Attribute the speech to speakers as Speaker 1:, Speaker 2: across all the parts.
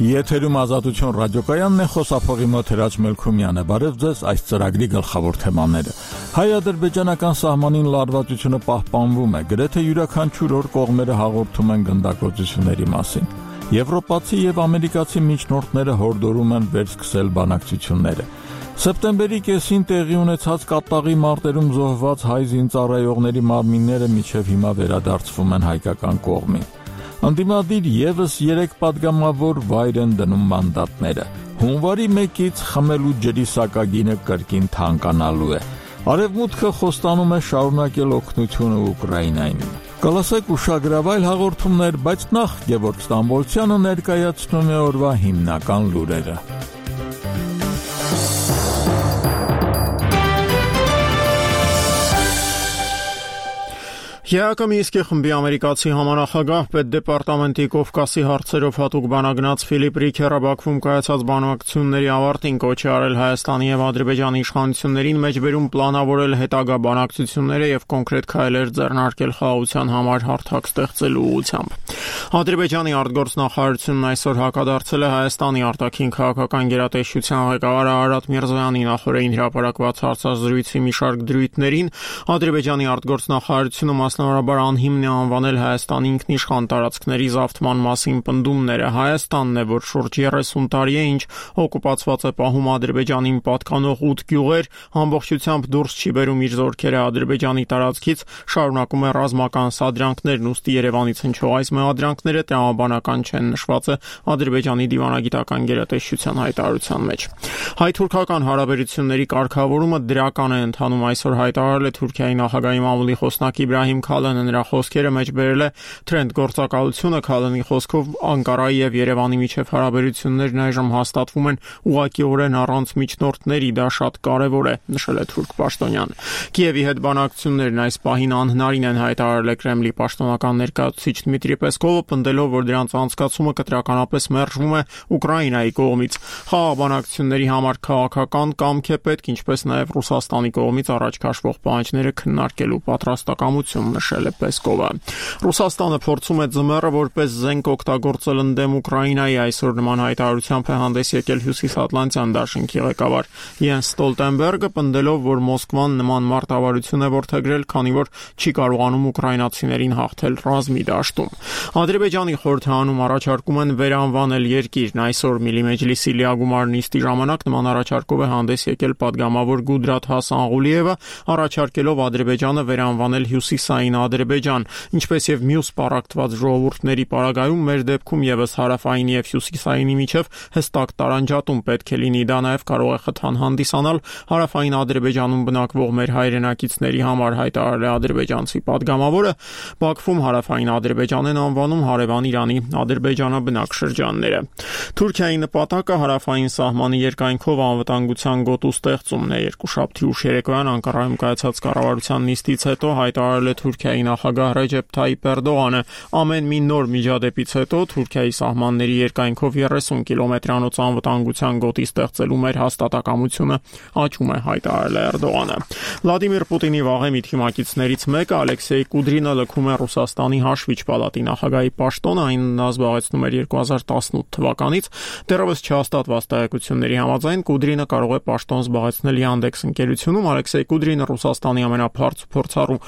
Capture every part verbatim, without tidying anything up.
Speaker 1: Եթերում Ազատություն ռադիոկայանն է, խոսափողի մոտ Հրաչ Մելքումյանը։ Բարև ձեզ, այս ծրագրի գլխավոր թեմաները։ Հայ-ադրբեջանական սահմանին լարվածությունը պահպանվում է, գրեթե յուրաքանչյուր օր կողմերը հաղորդում են գնդակոծությունների մասին։ Եվրոպացի եւ ամերիկացի միջնորդները հորդորում են վերսկսել բանակցությունները։ Սեպտեմբերի կեսին տեղի ունեցած կատաղի մարտերում զոհված հայ զինծառայողների մարմինները մինչև հիմա վերադարձվում են հայկական կողմին։ Անդիմադիր եւս երեք падգամավոր վայր են դնում մանդատները։ Հունվարի մեկից խմելու ջրի սակագինը կրկին թանկանալու է։ Արևմուտքը խոստանում է շարունակել օգնությունը Ուկրաինային։ Կլասեք ուշագրավայր հաղորդումներ, բայց նախ Գևորգ Ստամբոլցյանը ներկայացնում է օրվա հիմնական լուրերը։
Speaker 2: Յակոմիսկի խմբի ամերիկացի համանախագահ պետդեպարտամենտի Կովկասի հարցերով հատուկ բանագնաց Ֆիլիպ Ռիքերը Բաքվում կայացած բանակցությունների ավարտին կոչ է արել Հայաստանի եւ Ադրբեջանի իշխանություններին մեջբերում պլանավորել հետագա բանակցությունները եւ կոնկրետ քայլեր ձեռնարկել խաղաղության համար հարթակ ստեղծելու ուղղությամբ։ Ադրբեջանի արտգործնախարարությունն այսօր հակադարձել է Հայաստանի արտաքին քաղաքական գերատեսչության ղեկավար Արարատ Միրզոյանի նախորդին հրապարակված հարցազրույցի մի շարք դրույթներին։ Ադրբեջանի արտգործնախարարությունը Մասնավորաբար անհիմն է անվանել Հայաստանի ինքնիշխան տարածքների զավթման մասին պնդումները։ Հայաստանն է, որ շուրջ երեսուն տարի է, ինչ օկուպացված է պահում Ադրբեջանին պատկանող ութ գյուղեր, ամբողջությամբ դուրս չի բերում իր զորքերը Ադրբեջանի տարածքից, շարունակում է ռազմական սադրանքներն, ուստի Երևանից հնչող այս մեղադրանքները տրամաբանական չեն, նշված է Ադրբեջանի դիվանագիտական գերատեսչության հայտարարության մեջ։ Հայ-թուրքական հարաբերությունների կարգավորումը դրական է ընթանում, այսօր հայտարարել է Թուրքիայի նախագահի մամուլի խոսնակ Իբրահիմ Քալանը նրա խոսքերը մեջբերել է Թրենդ գործակալությունը։ Քալանի խոսքով Անկարայի եւ Երևանի միջև հարաբերություններն այժմ հաստատվում են ուղղակիորեն առանց միջնորդների, դա շատ կարեւոր է, նշել է թուրք պաշտոնյան։ Կիևի հետ բանակցություններն այս պահին անհնարին են, հայտարարել է Կրեմլի պաշտոնական ներկայացուցիչ Դմիտրի Պեսկովը, պնդելով, որ դրանց անցկացումը կտրականապես մերժվում է Ուկրաինայի կողմից։ Խաղաղ բանակցությունների համար քաղաքական կամք է պետք, ինչպես նաեւ Ռուսաստանի կողմից առաջ քաշվող պահանջները քննարկելու պատրաստակամություն, նշել է Պեսկովը։ Ռուսաստանը փորձում է ձմեռը որպես զենք օգտագործել ընդդեմ Ուկրաինայի, այսօր նման հայտարարությամբ է հանդես եկել Հյուսիսատլանտյան դաշինքի ղեկավար Յենս Ստոլտենբերգը, պնդելով, որ Մոսկվան նման մարտավարություն է որդեգրել, քանի որ չի կարողանում ուկրաինացիներին հաղթել ռազմի դաշտում։ Ադրբեջանի խորհրդարանում առաջարկում են վերանվանել երկիրն, այսօր Միլի Մեջլիսի լիագումար նիստի ժամանակ նման առաջարկով է հանդես եկել падգամավոր Գուդրաթ Հասանղուլիևը, առաջարկելով Ադրբեջանը վերանվանել Հյուսիսային Ադրբեջան, ինչպես եւ մյուս պարակտված ժողովուրդների պարագայում մեր դեպքում եւս հարավային եւ հյուսիսայինի միջև հստակ տարանջատում պետք է լինի, դա նաեւ կարող է խթան հանդիսանալ հարավային Ադրբեջանում բնակվող մեր հայրենակիցների համար, հայտարարել է ադրբեջանցի падգամավորը։ Բաքվում հարավային Ադրբեջան են անվանում հարևան Իրանի ադրբեջանաբնակ շրջանները։ Թուրքիայի նպատակը հարավային սահմանի երկայնքով անվտանգության գոտու ստեղծումն է։ Երկուշաբթի ուշ երեկոյան Անկարայում կայացած կառավարության նիստից հետո հայտարարել է Թուրքիայի նախագահ Ռեջեփ Թայիփ Էրդողանը։ Ամեն մի նոր միջադեպից հետո Թուրքիայի սահմանների երկայնքով երեսուն կիլոմետրանոց անվտանգության գոտի ստեղծելու մեր հաստատակամությունը աճում է, հայտարարել է Էրդողանը։ Վլադիմիր Պուտինի վաղեմի թիմակիցներից մեկը Ալեքսեյ Կուդրինը լքում է Ռուսաստանի հաշվիչ պալատի նախագահի պաշտոնը, այն նա զբաղեցնում էր երկու հազար տասնութ թվականից։ Դեռևս չհաստատված տեղեկությունների համաձայն Կուդրինը կարող է պաշտոն զբաղեցնել Yandex ընկերությունում։ Ալեքսեյ Կուդրինը Ռուսաստանի ամենաբարձր փորձառու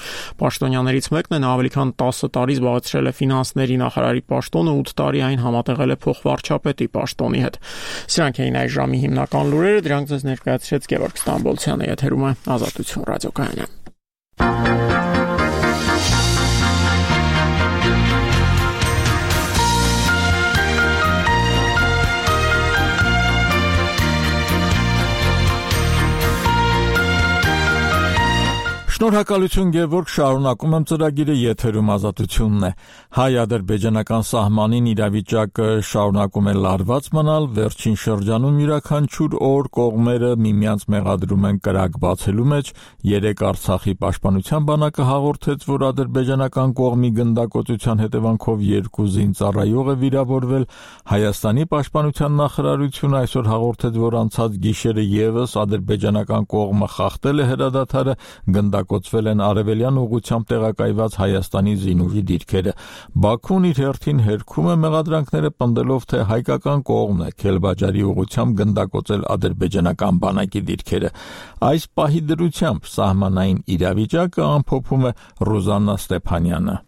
Speaker 2: պաշտոնյաներից մեկն է, նա ավելի քան տասը տարի զբաղեցրել է ֆինանսների նախարարի պաշտոնը, ութ տարի այն համատեղել է փոխվարչապետի պաշտոնի հետ։ Սրանք էին այս ժամի հիմնական լուրերը, դրանք ձեզ ներկայացրեց Գևորգ Ստամբոլցյանը, եթերում է Ազատություն ռադիոկայանը։
Speaker 1: Շնորհակալություն Գևորգ, շարունակում եմ ծրագիրը, եթերում Ազատությունն է։ Հայ-ադրբեջանական սահմանին իրավիճակը շարունակում է լարված մնալ, վերջին շրջանում յուրաքանչյուր օր կողմերը միմյանց մեղադրում են կրակ բացելու մեջ։ Երեկ Արցախի պաշտպանության բանակը հաղորդեց, որ ադրբեջանական կողմի գնդակոծության հետևանքով երկու զինծառայող է վիրավորվել։ Հայաստանի պաշտպանության նախարարությունը այսօր հաղորդեց, որ անցած գիշերը եւս ադրբեջանական կողմը խախտել է հրադադարը, գնդակ գնդակոծվել են արևելյան ուղղությամբ տեղակայված Հայաստանի զինուժի դիրքերը։ Բաքուն իր հերթին հերքում է մեղադրանքները պնդելով, թե հայկական կողմն է Քելբաջարի ուղղությամբ գնդակոծել ադրբեջանական բանակի դիրքերը։ Այս պահի դրությամբ սահմանային իրավիճակը ամփոփում է Ռուզաննա Ստեփանյանը։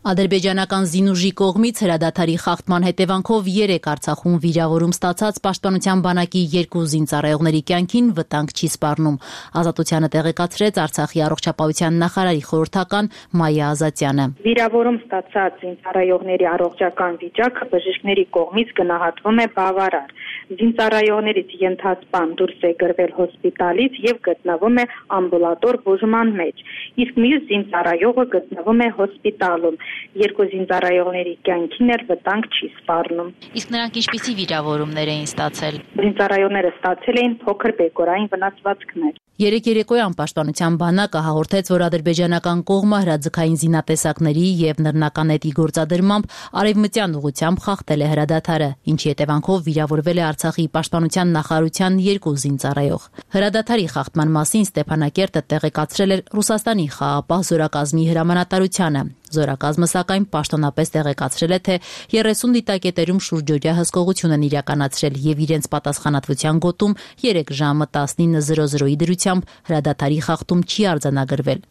Speaker 3: Ադրբեջանական զինուժի կողմից հրադադարի խախտման հետևանքով երեք Արցախում վիրավորում ստացած Պաշտպանության բանակի երկու զինծառայողների կյանքին վտանգ չի սպառնում։ Ազատությանը տեղեկացրեց Արցախի առողջապահության նախարարի խորհրդական Մայա Ազատյանը։
Speaker 4: Վիրավորում ստացած զինծառայողների առողջական վիճակը բժիշկների կողմից գնահատվում է բավարար։ Զինծառայողներից ենթասպան դուրս է գրվել հոսպիտալից եւ գտնվում է ամբուլատոր բուժման մեջ, իսկ մյուս զինծառայողը գտնվում է հոսպիտալում։ Երկու զինծառայողների կյանքին էլ վտանգ չի սպառնում։
Speaker 3: Իսկ նրանք ինչպիսի վիրավորումներ էին ստացել։
Speaker 4: Զինծառայողները ստացել էին փոքր բեկորային վնասվածքներ։
Speaker 3: Երեք երեկոյան Պաշտպանության բանակը հաղորդեց, որ ադրբեջանական կողմը հրաձգային զինատեսակների եւ նռնական նետի գործադրմամբ արևմտյան ուղղությամբ խախտել է հրադադարը, ինչի հետևանքով վիրավորվել է Արցախի Պաշտպանության նախարարության երկու զինծառայող։ Հրադադարի խախտման մասին Ստեփանակերտը տեղեկացրել էր Ռուսաստանի խաղաղապահ զորակազմի հրամանատարությանը։ Զորակազմը սակայն պաշտոնապես տեղեկացրել է, թե երեսուն դիտակետերում շուրջօրյա հսկողություն են իրականացրել եւ իրենց պատասխանատվության գոտում երեք ժամը տասնինը զրո զրոյի դրությամբ հրադադարի խախտում չի արձանագրվել։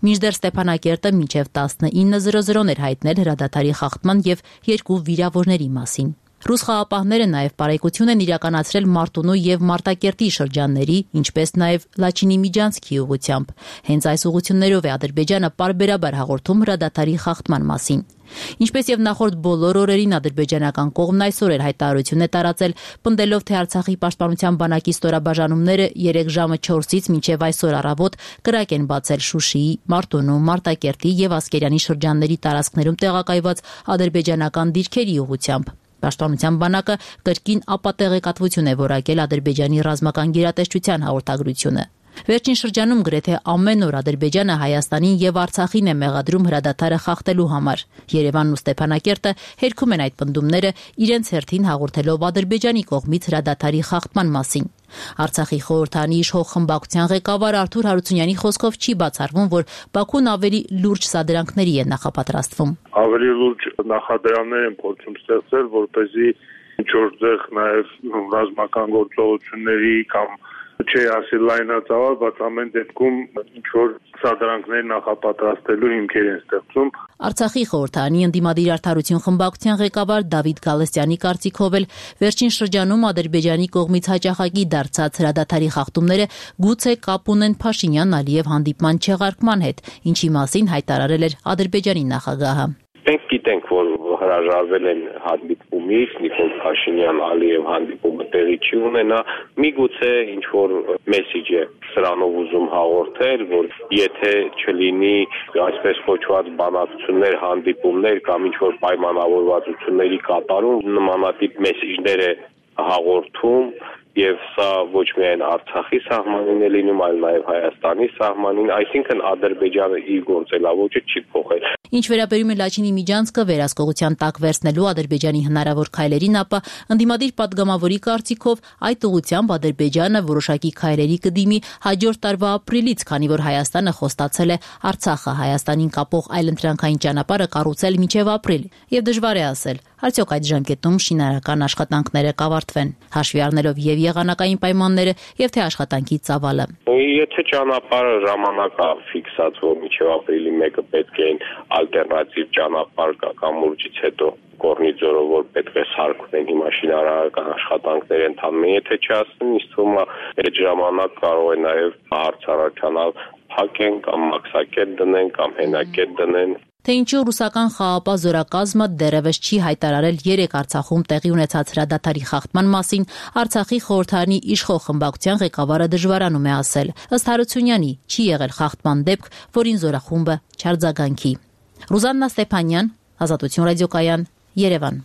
Speaker 3: Մինչդեռ Ստեփանակերտը մինչև տասնինը զրո զրոն էր հայտնել հրադադարի խախտման եւ երկու վիրավորների մասին։ Ռուս խաղապահները նաև պարեկություն են իրականացրել Մարտունու եւ Մարտակերտի շրջանների, ինչպես նաև Լաչինի Միջանցքի ուղղությամբ։ Հենց այս ուղղություններով է Ադրբեջանը պարբերաբար հաղորդում հրադադարի խախտման մասին։ Ինչպես եւ նախորդ բոլոր օրերին ադրբեջանական կողմն այսօր էր հայտարարություն է տարածել, պնդելով, թե Արցախի պաշտպանության բանակի ստորաբաժանումները երեք ժամը չորսից մինչև այսօր առավոտ կրակ են բացել Շուշիի, Մարտունու, Մարտակերտի եւ Ասկերանի շրջանների տարածքներում տեղակայված ադրբեջանական դիրքերի ուղղությամբ։ Պաշտպանության բանակը կրկին ապատեղեկատվություն է որակել Ադրբեջանի ռազմական գերատեսչության հաղորդագրությունը։ Վերջին շրջանում գրեթե ամեն օր Ադրբեջանը Հայաստանին եւ Արցախին է մեղադրում հրադադարը խախտելու համար։ Երևանն ու Ստեփանակերտը հերքում են այդ պնդումները, իրենց հերթին հաղորդելով Ադրբեջանի կողմից հրադադարի խախտման մասին։ Արցախի խորհրդանի իշխող խմբակցության ղեկավար Արթուր Հարությունյանի խոսքով չի բացառվում, որ Բաքուն ավելի լուրջ սադրանքների է նախապատրաստվում։
Speaker 5: Ավելի լուրջ նախադրաններ են փորձում ստեղծել, որպեսզի ինչ-որ տեղ նաև ռազմական գործողությունների կամ չէ ասել լայնածավալ, բայց ամեն դեպքում ինչ-որ սադրանքներ նախապատրաստելու հիմքեր են ստեղծում։
Speaker 3: Արցախի խորհրդանի ընդդիմադիր արդարություն խմբակցության ղեկավար Դավիթ Գալստյանի կարծիքով էլ վերջին շրջանում Ադրբեջանի կողմից հաճախակի դարձած հրադադարի խախտումները գուցե կապ ունեն Փաշինյան-Ալիև հանդիպման չեղարկման հետ, ինչի մասին հայտարարել էր Ադրբեջանի նախագահը։
Speaker 6: Մենք գիտենք, որ հրաժարվել են հանդիպումից, Նիկոլ Փաշինյան-Ալիև հանդիպումը տեղի չի ունենա, միգուցե ինչ-որ մեսիջ է սրանով ուզում հաղորդել, որ եթե չլինի այսպես կոչված բանակցություններ, հանդիպումներ կամ ինչ-որ պայմանավորվածությունների կատարում, նմանատիպ մեսիջներ է հաղորդում, եւ սա ոչ միայն Արցախի սահմանին է լինում, այլ նաեւ Հայաստանի սահմանին, այսինքն Ադրբեջանը իր գործելավոճը չի փոխել։
Speaker 3: Ինչ վերաբերում է Լաչինի Միջանցքը վերահսկողության տակ վերցնելու Ադրբեջանի հնարավոր քայլերին, ապա ընդդիմադիր պատգամավորի կարծիքով այդ ուղղությամբ Ադրբեջանը որոշակի քայլերի կդիմի հաջորդ տարվա ապրիլից, քանի որ Հայաստանը խոստացել է Արցախը Հայաստանին կապող այլընտրանքային ճանապարհը կառուցել մինչև ապրիլ։ Եվ դժվար է ասել, արդյոք այդ ժամկետում շինարարական աշխատանքները կավարտվեն, հաշվի առնելով եւ եղանակային պայմանները եւ թե աշխատանքի ծավալը։
Speaker 6: Եթե ճանապարհը ժամանակա ֆիքսած, որ մինչև ապրիլի մեկը պետք է ալտերնատիվ ճանապարհ կա կամ ուրջից հետո Կորնիձորով որ պետք է սարքվեն, հիմա շինարարական աշխատանքներ ընթանում, եթե չասեն, ինձ թվում է այդ ժամանակ կարող է նաև հարցարարչանալ փակեն կամ մաքսակետ դնեն կամ հենակետ դնեն։
Speaker 3: Թե ինչու ռուսական խաղաղապահ զորակազմը դեռևս չի հայտարարել երեք Արցախում տեղի ունեցած հրադադարի խախտման մասին, Արցախի խորհրդանի իշխող խմբակցության ղեկավարը դժվարանում է ասել։ Ըստ Հարությունյանի, չի եղել խախտման դեպք, որին զորախումբը չարձագանքի։ Ռուզաննա Ստեփանյան, Ազատություն ռադիոկայան, Երևան։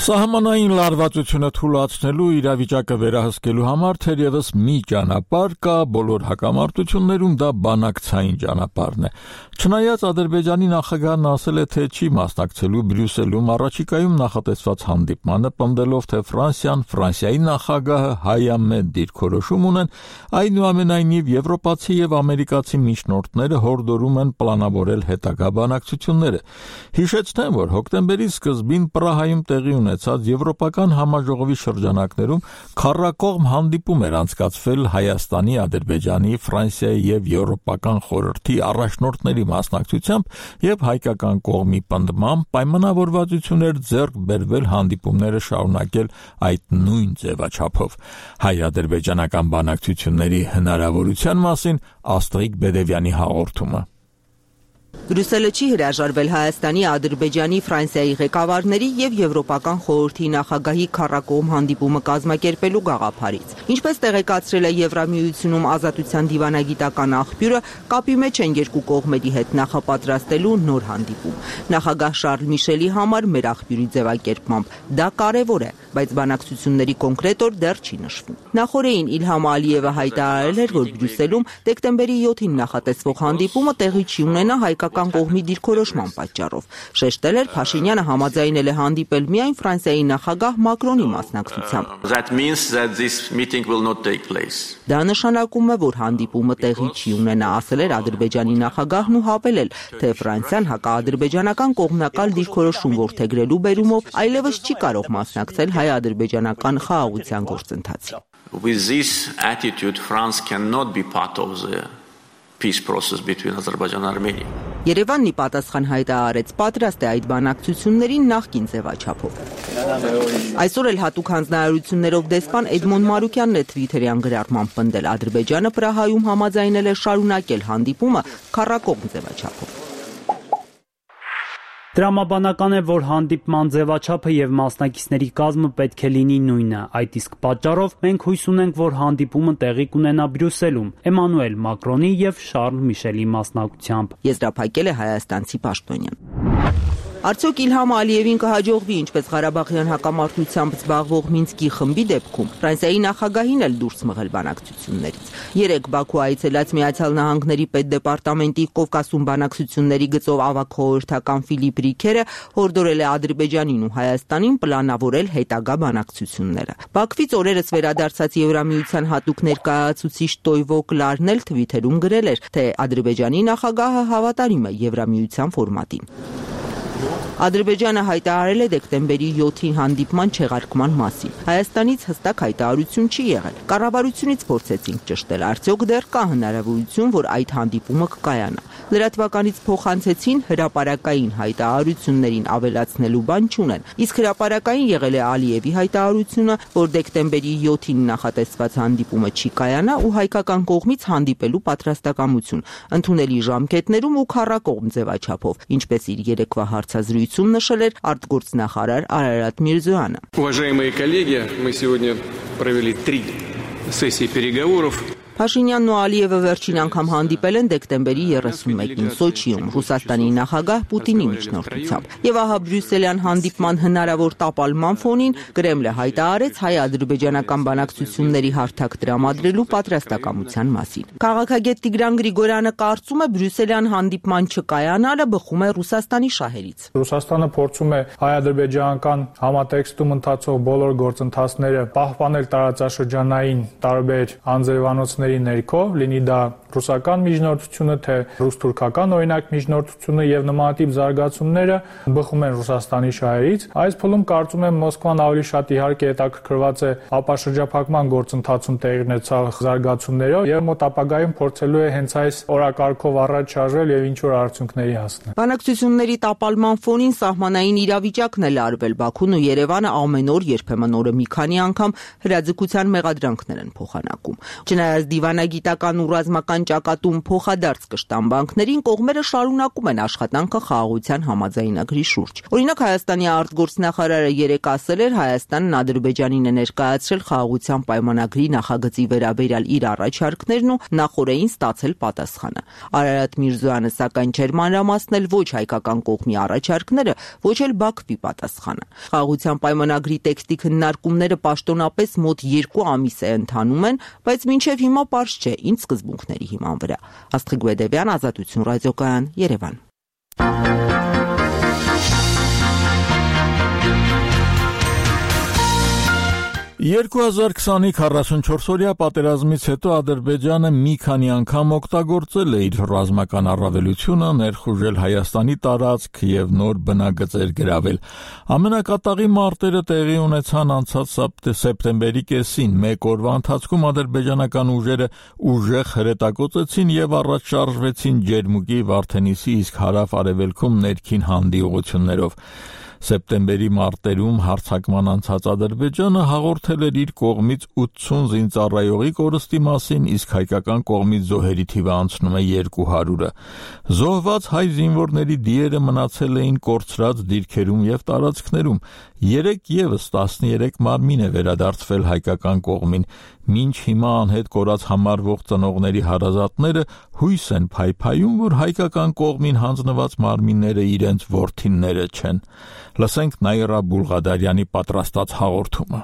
Speaker 1: Սահմանային լարվածությունը թույլատնելու իրավիճակը վերահսկելու համար թերևս մի ճանապարհ կա, բոլոր հակամարտություններում դա բանակցային ճանապարհն է։ Չնայած Ադրբեջանի նախագահն ասել է, թե չի մասնակցելու Բրյուսելում առաջիկայում նախատեսված հանդիպմանը, պնդելով, թե Ֆրանսիան, Ֆրանսիայի նախագահը հայամետ դիրքորոշում ունեն, այնուամենայնիվ եվրոպացի եւ ամերիկացի միջնորդները հորդորում են պլանավորել հետագա բանակցությունները։ Հիշեցնեմ, որ հոկտեմբերի սկզբին Պրահայում տեղի ունեցած եվրոպական համաժողովի շրջանակներում քառակողմ հանդիպում էր անցկացվել Հայաստանի, Ադրբեջանի, Ֆրանսիայի եւ Եվրոպական խորհրդի առաջնորդների մասնակցությամբ եւ հայկական կողմի պնդմամբ պայմանավորվածություն էր ձեռք բերվել հանդիպումները շարունակել այդ նույն ձևաչափով։ Հայ-ադրբեջանական բանակցությունների հնարավորության մասին Աստղիկ Բեդևյանի հաղորդումը։
Speaker 7: Բրյուսելը չի հրաժարվել Հայաստանի, Ադրբեջանի, Ֆրանսիայի ղեկավարների եւ Եվրոպական խորհրդի նախագահի քառակողմ հանդիպումը կազմակերպելու գաղափարից։ Ինչպես տեղեկացրել է Եվրամիությունում ազատության դիվանագիտական աղբյուրը, կապի մեջ են երկու կողմերի հետ նախապատրաստելու նոր հանդիպում։ Նախագահ Շարլ Միշելի համար մեր աղբյուրի ձևակերպմամբ դա կարևոր է, բայց բանակցությունների կոնկրետ օր դեռ չի նշվում։ Նախորդին Իլհամ Ալիևը հայտարարել էր, որ Բրյուսելում դեկտեմբերի յոթին նախատեսվող հանդիպումը տեղի չի ունենա հայկական կողմի դիրքորոշման պատճառով։ Շեշտել էր, Փաշինյանը համաձայնել է հանդիպել միայն Ֆրանսիայի նախագահ Մակրոնի մասնակցությամբ։ Դա նշանակում է, որ հանդիպումը տեղի չի ունենա, ասել էր Ադրբեջանի նախագահն ու հավելել, թե Ֆրանսիան հակաադրբեջանական կողմնակալ դիրքորոշում որդեգրելու բերումով այլևս չի կարող մասնակցել հայ-ադրբեջանական խաղաղության գործընթացին։
Speaker 8: With this attitude, France cannot be part of the peace process between Azerbaijan and Armenia.
Speaker 7: Երևանն ի պատասխան հայտարարեց, պատրաստ է այդ բանակցություններին նախկին ձևաչափով։ Այսօր էլ հատուկ հանձնարարություններով դեսպան Էդմոն Մարուկյանն է Թվիթերյան գրառմամբ պնդել, Ադրբեջանը Պրահայում համաձայնել է շարունակել հանդիպումը քառակողմ ձևաչափով։
Speaker 9: Տրամաբանական է, որ հանդիպման ձևաչափը եւ մասնակիցների կազմը պետք է լինի նույնը։ Այդ իսկ պատճառով մենք հույս ունենք, որ հանդիպումը տեղի կունենա Բրյուսելում, Էմանուել Մակրոնի եւ Շարլ Միշելի մասնակցությամբ։
Speaker 7: Եզրափակել է հայաստանցի պաշտոնյան։ Արդյոք Իլհամ Ալիևին կհաջողվի, ինչպես Ղարաբաղյան հակամարտությամբ զբաղվող Մինսկի խմբի դեպքում, Ֆրանսիայի նախագահին էլ դուրս մղել բանակցություններից։ Երեկ Բաքու այցելած Միացյալ Նահանգների պետդեպարտամենտի Կովկասում բանակցությունների գծով ավագ խորհրդական Ֆիլիպ Ռիքերը հորդորել է Ադրբեջանին ու Հայաստանին պլանավորել հետագա բանակցությունները։ Բաքվից օրերս վերադարձած Եվրամիության հատուկ ներկայացուցիչ Տոյվո Կլարն էլ Թվիթերում գրել էր, թե Ադրբեջանի նախագահը հավատարիմ է Եվրամիության ֆորմատին։ Ադրբեջանը հայտարարել է դեկտեմբերի յոթին հանդիպման չեղարկման մասին։ Հայաստանից հստակ հայտարարություն չի եղել։ Կառավարությունից փորձեցինք ճշտել, արդյոք դեռ կա հնարավորություն, որ այդ հանդիպումը կկայանա։ Լրատվականից փոխանցեցին, հրապարակային հայտարարություններին ավելացնելու բան չունեն։ Իսկ հրապարակային եղել է Ալիևի հայտարարությունը, որ դեկտեմբերի յոթին նախատեսված հանդիպումը չի կայանա ու հայկական կողմից հանդիպելու պատրաստակամություն, ընդունելի ժամկետներում ու քառակողմ ձևաչափով, ինչպես իր երեկվա հարցազրույցում նշել էր արտգործնախարար Արարատ Միրզոյանը։
Speaker 10: Уважаемые коллеги, мы сегодня провели три сессии переговоров.
Speaker 7: Փաշինյանն ու Ալիևը վերջին անգամ հանդիպել են դեկտեմբերի երեսունմեկին Սոչիում, Ռուսաստանի նախագահ Պուտինի միջնորդությամբ։ Եվ ահա Բրյուսելյան հանդիպման հնարավոր տապալման ֆոնին Կրեմլը հայտարարեց հայ-ադրբեջանական բանակցությունների հարթակ տրամադրելու պատրաստակամության մասին։ Քաղաքագետ Տիգրան Գրիգորյանը կարծում է, Բրյուսելյան հանդիպման չկայանալը բխում է Ռուսաստանի շահերից։
Speaker 11: Ռուսաստանը փորձում է հայ-ադրբեջանական համատեքստում ընթացող բոլոր գործընթացները պահպանել տարածաշրջանային տարբեր անձրևանոցների ներքո, լինի դա ռուսական միջնորդությունը, թե ռուս-թուրքական օրինակ միջնորդությունը եւ նմանատիպ զարգացումները բխում են Ռուսաստանի շահերից։ Այս փուլում կարծում եմ Մոսկվան ավելի շատ իհարկե հետաքրքրված է ապաշրջափակման գործընթացում տեղի ունեցող զարգացումներով եւ մոտ ապագայում փորձելու է հենց այս օրակարգով առաջ շարժել եւ ինչ որ արդյունքների հասնել։
Speaker 7: Բանակցությունների տապալման ֆոնին սահմանային իրավիճակն է լարվել։ Բաքուն ու Երևանը ամեն օր, երբեմն օրը մի քանի անգամ հրաձգության մեղադրանքներ են փոխանակում։ Չնայած դիվանագիտական ու ռազմական կառավարության ճակատում փոխադարձ կշտան բանկներին, կողմերը շարունակում են աշխատանքը խաղաղության համաձայնագրի շուրջ։ Օրինակ, Հայաստանի արտգործնախարարը երեկ ասել էր, Հայաստանն Ադրբեջանին է ներկայացրել խաղաղության պայմանագրի նախագծի վերաբերյալ իր առաջարկներն ու նախորդին ստացել պատասխանը։ Արարատ Միրզոյանը սակայն չէր մանրամասնել ոչ հայկական կողմի առաջարկները, ոչ էլ Բաքվի պատասխանը։ Խաղաղության պայմանագրի տեքստի քննարկումները պաշտոնապես մոտ երկու ամիս է ընթանում են, բայց մինչև հիմա պարզ չէ ինչ սկզբունքների հիման վրա։ Աստղիկ Բեդևյան, Ազատություն ռադիոկայան, Երևան։
Speaker 1: երկու հազար քսանի քառասունչորսօրյա պատերազմից հետո Ադրբեջանը մի քանի անգամ օգտագործել է իր ռազմական առավելությունը, ներխուժել Հայաստանի տարածք եւ նոր բնագծեր գրավել։ Ամենակատաղի մարտերը տեղի ունեցան անցած սեպտեմբերի կեսին։ Մեկ օրվա ընթացքում ադրբեջանական ուժերը ուժեղ հրետակոծեցին եւ առաջ շարժվեցին Ջերմուկի, Վարդենիսի, իսկ հարավ-արևելքում ներքին հանդի ուղություններով։ Սեպտեմբերի մարտերում հարձակման անցած Ադրբեջանը հաղորդել էր իր կողմից ութսուն զինծառայողի կորստի մասին, իսկ հայկական կողմից զոհերի թիվը անցնում է երկու հարյուրը։ Զոհված հայ զինվորների դիերը մնացել էին կորցրած դիրքերում եւ տարածքներում։ Երեք եւս տասներեք մարմին է վերադարձվել հայկական կողմին։ Մինչ հիմա անհետ կորած համարվող ծնողների հարազատները հույս են փայփայում, որ հայկական կողմին հանձնված մարմինները իրենց որդիները չեն։ Լսենք Նաիրա Բուլղադարյանի պատրաստած հաղորդումը։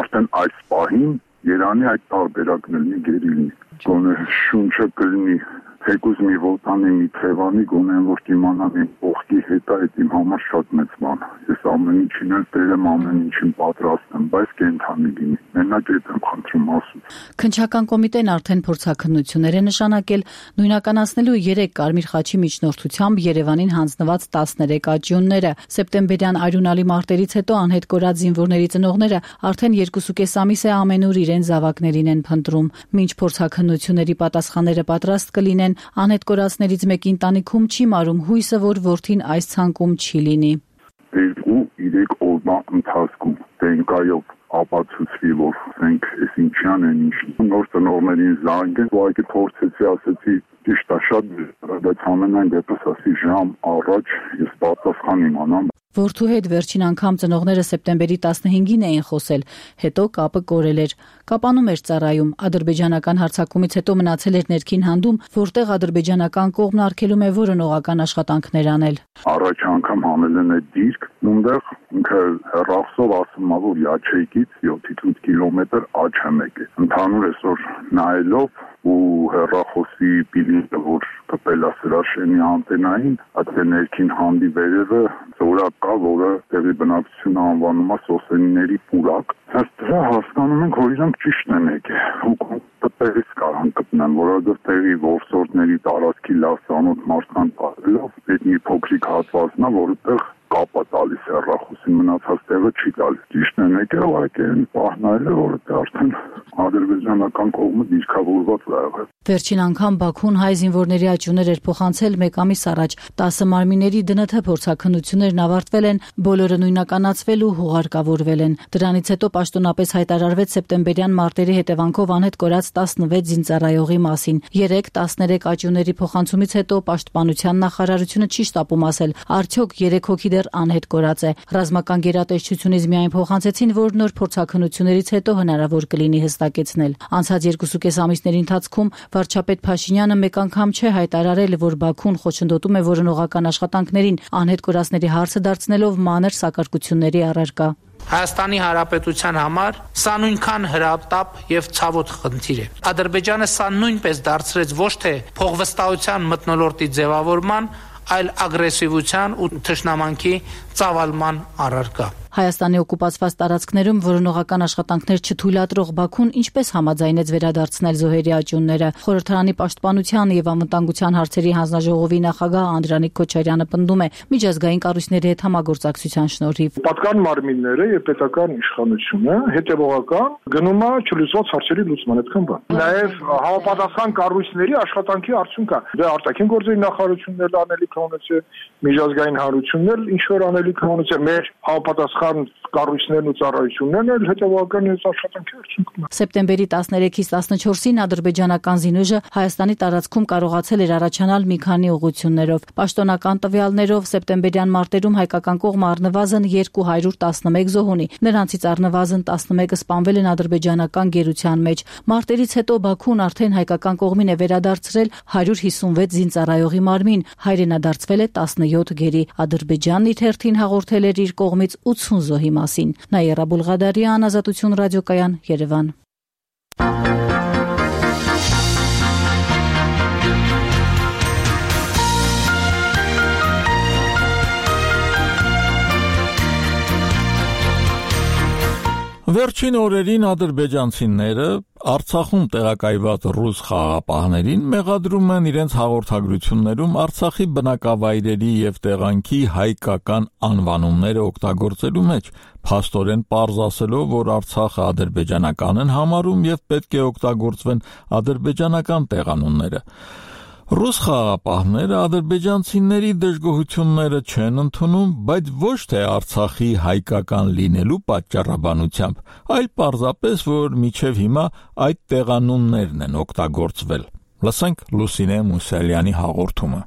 Speaker 12: Արդեն այս պահին Երանի այդ տարբերակն լինի գերիլնի, գոնե շունչը կլինի թեկուզ մի ոտանի, մի թևանի, գոնե որ իմանամ իմ ողքի հետ այդ իմ համար շատ մեծ բան։ Ես ամեն ինչին էլ տերեմ, ամեն ինչին պատրաստ եմ, բայց կենթանի լինի։ Մենակ այդ եմ խնդրում ասում։
Speaker 3: Քննչական կոմիտեն արդեն փորձաքննություններ է նշանակել նույնականացնելու երեք Կարմիր խաչի միջնորդությամբ Երևանին հանձնված տասներեք աճյունները։ Սեպտեմբերյան արյունալի մարտերից հետո անհետ կորած զինվորների ծնողները արդեն երկուսուկես ամիս է ամենուր իրեն զավակներին են փնտրում։ Մինչ փորձաքննությունների պատասխանները պատրաստ կլինեն, անհետ կորածներից մեկի ընտանիքում չի մարում հույսը, որ որդին այս ցանկում չի լինի։
Speaker 12: Երկու երեք օրվա ընթացքում տենկայով ապացուցվի, որ ասենք այս ինչյան են ինչ նոր ծնողներին զանգեն, ու այդ փորձեցի, ասեցի ճիշտ է, շատ բայց ամենայն դեպս ասի ժամ առաջ ես պատասխան իմանամ։
Speaker 3: Որդու հետ վերջին անգամ ծնողները սեպտեմբերի տասնհինգին էին խոսել, հետո կապը կորել էր։ Կապանում էր ծառայում, ադրբեջանական հարձակումից հետո մնացել էր ներքին հանդում, որտեղ ադրբեջանական կողմն արգելում է որոնողական աշխատանքներ անել։
Speaker 12: Առաջ անգամ հանել են այդ դիրք, ունդեղ ինքը հեռախոսով ասում է, որ յաչեյկից յոթ կիլոմետր աջ է մեկ է։ Ընդհանուր այսօր նայելով ու հեռախոսի բիլինը, որ կպել է Սրաշենի անտենային, այդ ներքին հանդի վերևը զորակ կա, որը տեղի բնակչությունը անվանում է Սոսենիների պուրակ։ Հենց դրա հասկանում ենք, որ իրանք ճիշտ են եկել։ Ու տեղից կարան գտնեն, որովհետև տեղի որսորդների տարածքի լավ ծանոթ մարդկանց պատելով, այդ մի փոքրիկ հատվածն է, որտեղ կապա տալիս հեռախոսին, մնացած տեղը չի տալիս։ Ճիշտ են եկել, այդ այն պահնայել է, որովհետև արդեն ադրբեջանական կողմը դիրքավորված է եղել։
Speaker 3: Վերջին անգամ Բաքուն հայ զինվորների աճյուններ էր փոխանցել մեկ ամիս առաջ։ տասը մարմինների դն թ փորձաքննություններն ավարտվել են, բոլորը նույնականացվել ու հուղարկավորվել են։ Դրանից հետո պաշտոնապես հայտարարվեց սեպտեմբերյան մարտերի հետևանքով անհետ կորած տասնվեց զինծառայողի մասին։ երեք տասներեք աճյունների փոխանցումից հետո պաշտպանության նախարարությունը չի շտապում ասել, արդյոք երեք հոգի դեռ անհետ կորած է։ Ռազմական գերատեսչությունից միայն փոխանցեցին, որ նոր փորձաքննություններից հետո հնարավոր կլինի հստակեցնել։ Անցած երկուսուկես ամիսների ընթացքում վարչապետ Փաշինյանը մեկ անգամ չէ հայտարարել, որ Բաքուն խոչընդոտում է որոնողական աշխատանքներին, անհետ կորածների հարցը դարձնելով մանր սակարկությունների առարկա։
Speaker 13: Հայաստանի Հանրապետության համար սա նույնքան հրատապ եւ ցավոտ խնդիր է։ Ադրբեջանը սա նույնպես դարձրեց ոչ թե փողվստահության մթնոլորտի ձևավորման, այլ ագրեսիվության ու թշնամանքի ծավալման առարկա։
Speaker 3: Հայաստանի օկուպացված տարածքներում որոնողական աշխատանքներ չթույլատրող Բաքուն ինչպես համաձայնեց վերադարձնել զոհերի աճյունները։ Խորհրդարանի պաշտպանության եւ անվտանգության հարցերի հանձնաժողովի նախագահ Անդրանիկ Քոչարյանը պնդում է միջազգային կառույցների հետ համագործակցության շնորհիվ
Speaker 14: պատկան մարմինները եւ պետական իշխանությունը հետեւողական գնում է չլուծված հարցերի լուծման այդքան բան։ Նաեւ համապատասխան կառույցների աշխատանքի արդյունք է։ Դե արտաքին գործերի նախարարություններն անելիք ունեցել, միջազգային հանրություններ ինչ որ անելիք ունեցել, մեր համապատասխան համապատասխան կառույցներն ու ծառայություններն էլ հետևական այս աշխատանքի արդյունքում։
Speaker 3: Սեպտեմբերի տասներեքից տասնչորսին ադրբեջանական զինուժը Հայաստանի տարածքում կարողացել էր առաջանալ մի քանի ուղղություններով։ Պաշտոնական տվյալներով սեպտեմբերյան մարտերում հայկական կողմը առնվազն երկու հարյուր տասնմեկ զոհ ունի։ Նրանցից առնվազն տասնմեկը սպանվել են ադրբեջանական գերության մեջ։ Մարտերից հետո Բաքուն արդեն հայկական կողմին է վերադարձրել հարյուր հիսունվեց զինծառայողի մարմին, հայրենադարձվել է տասնյոթ գերի։ Ադրբեջանն իր հերթին հաղորդել էր իր կողմից ութսուն զոհի մասին։ Նաիրա Բուլղադարյան, Ազատություն ռադիոկայան, Երևան։
Speaker 1: Վերջին օրերին ադրբեջանցիները Արցախում տեղակայված ռուս խաղաղապահներին մեղադրում են իրենց հաղորդագրություններում Արցախի բնակավայրերի եւ տեղանքի հայկական անվանումները օգտագործելու մեջ, փաստորեն պարզ ասելով, որ Արցախը ադրբեջանական են համարում եւ պետք է օգտագործվեն ադրբեջանական տեղանունները։ Ռուս խաղաղապահները ադրբեջանցիների դժգոհությունները չեն ընդունում, բայց ոչ թե Արցախի հայկական լինելու պատճառաբանությամբ, այլ պարզապես, որ մինչև հիմա այդ տեղանուններն են օգտագործվել։ Լսենք Լուսինե Մուսալյանի հաղորդումը։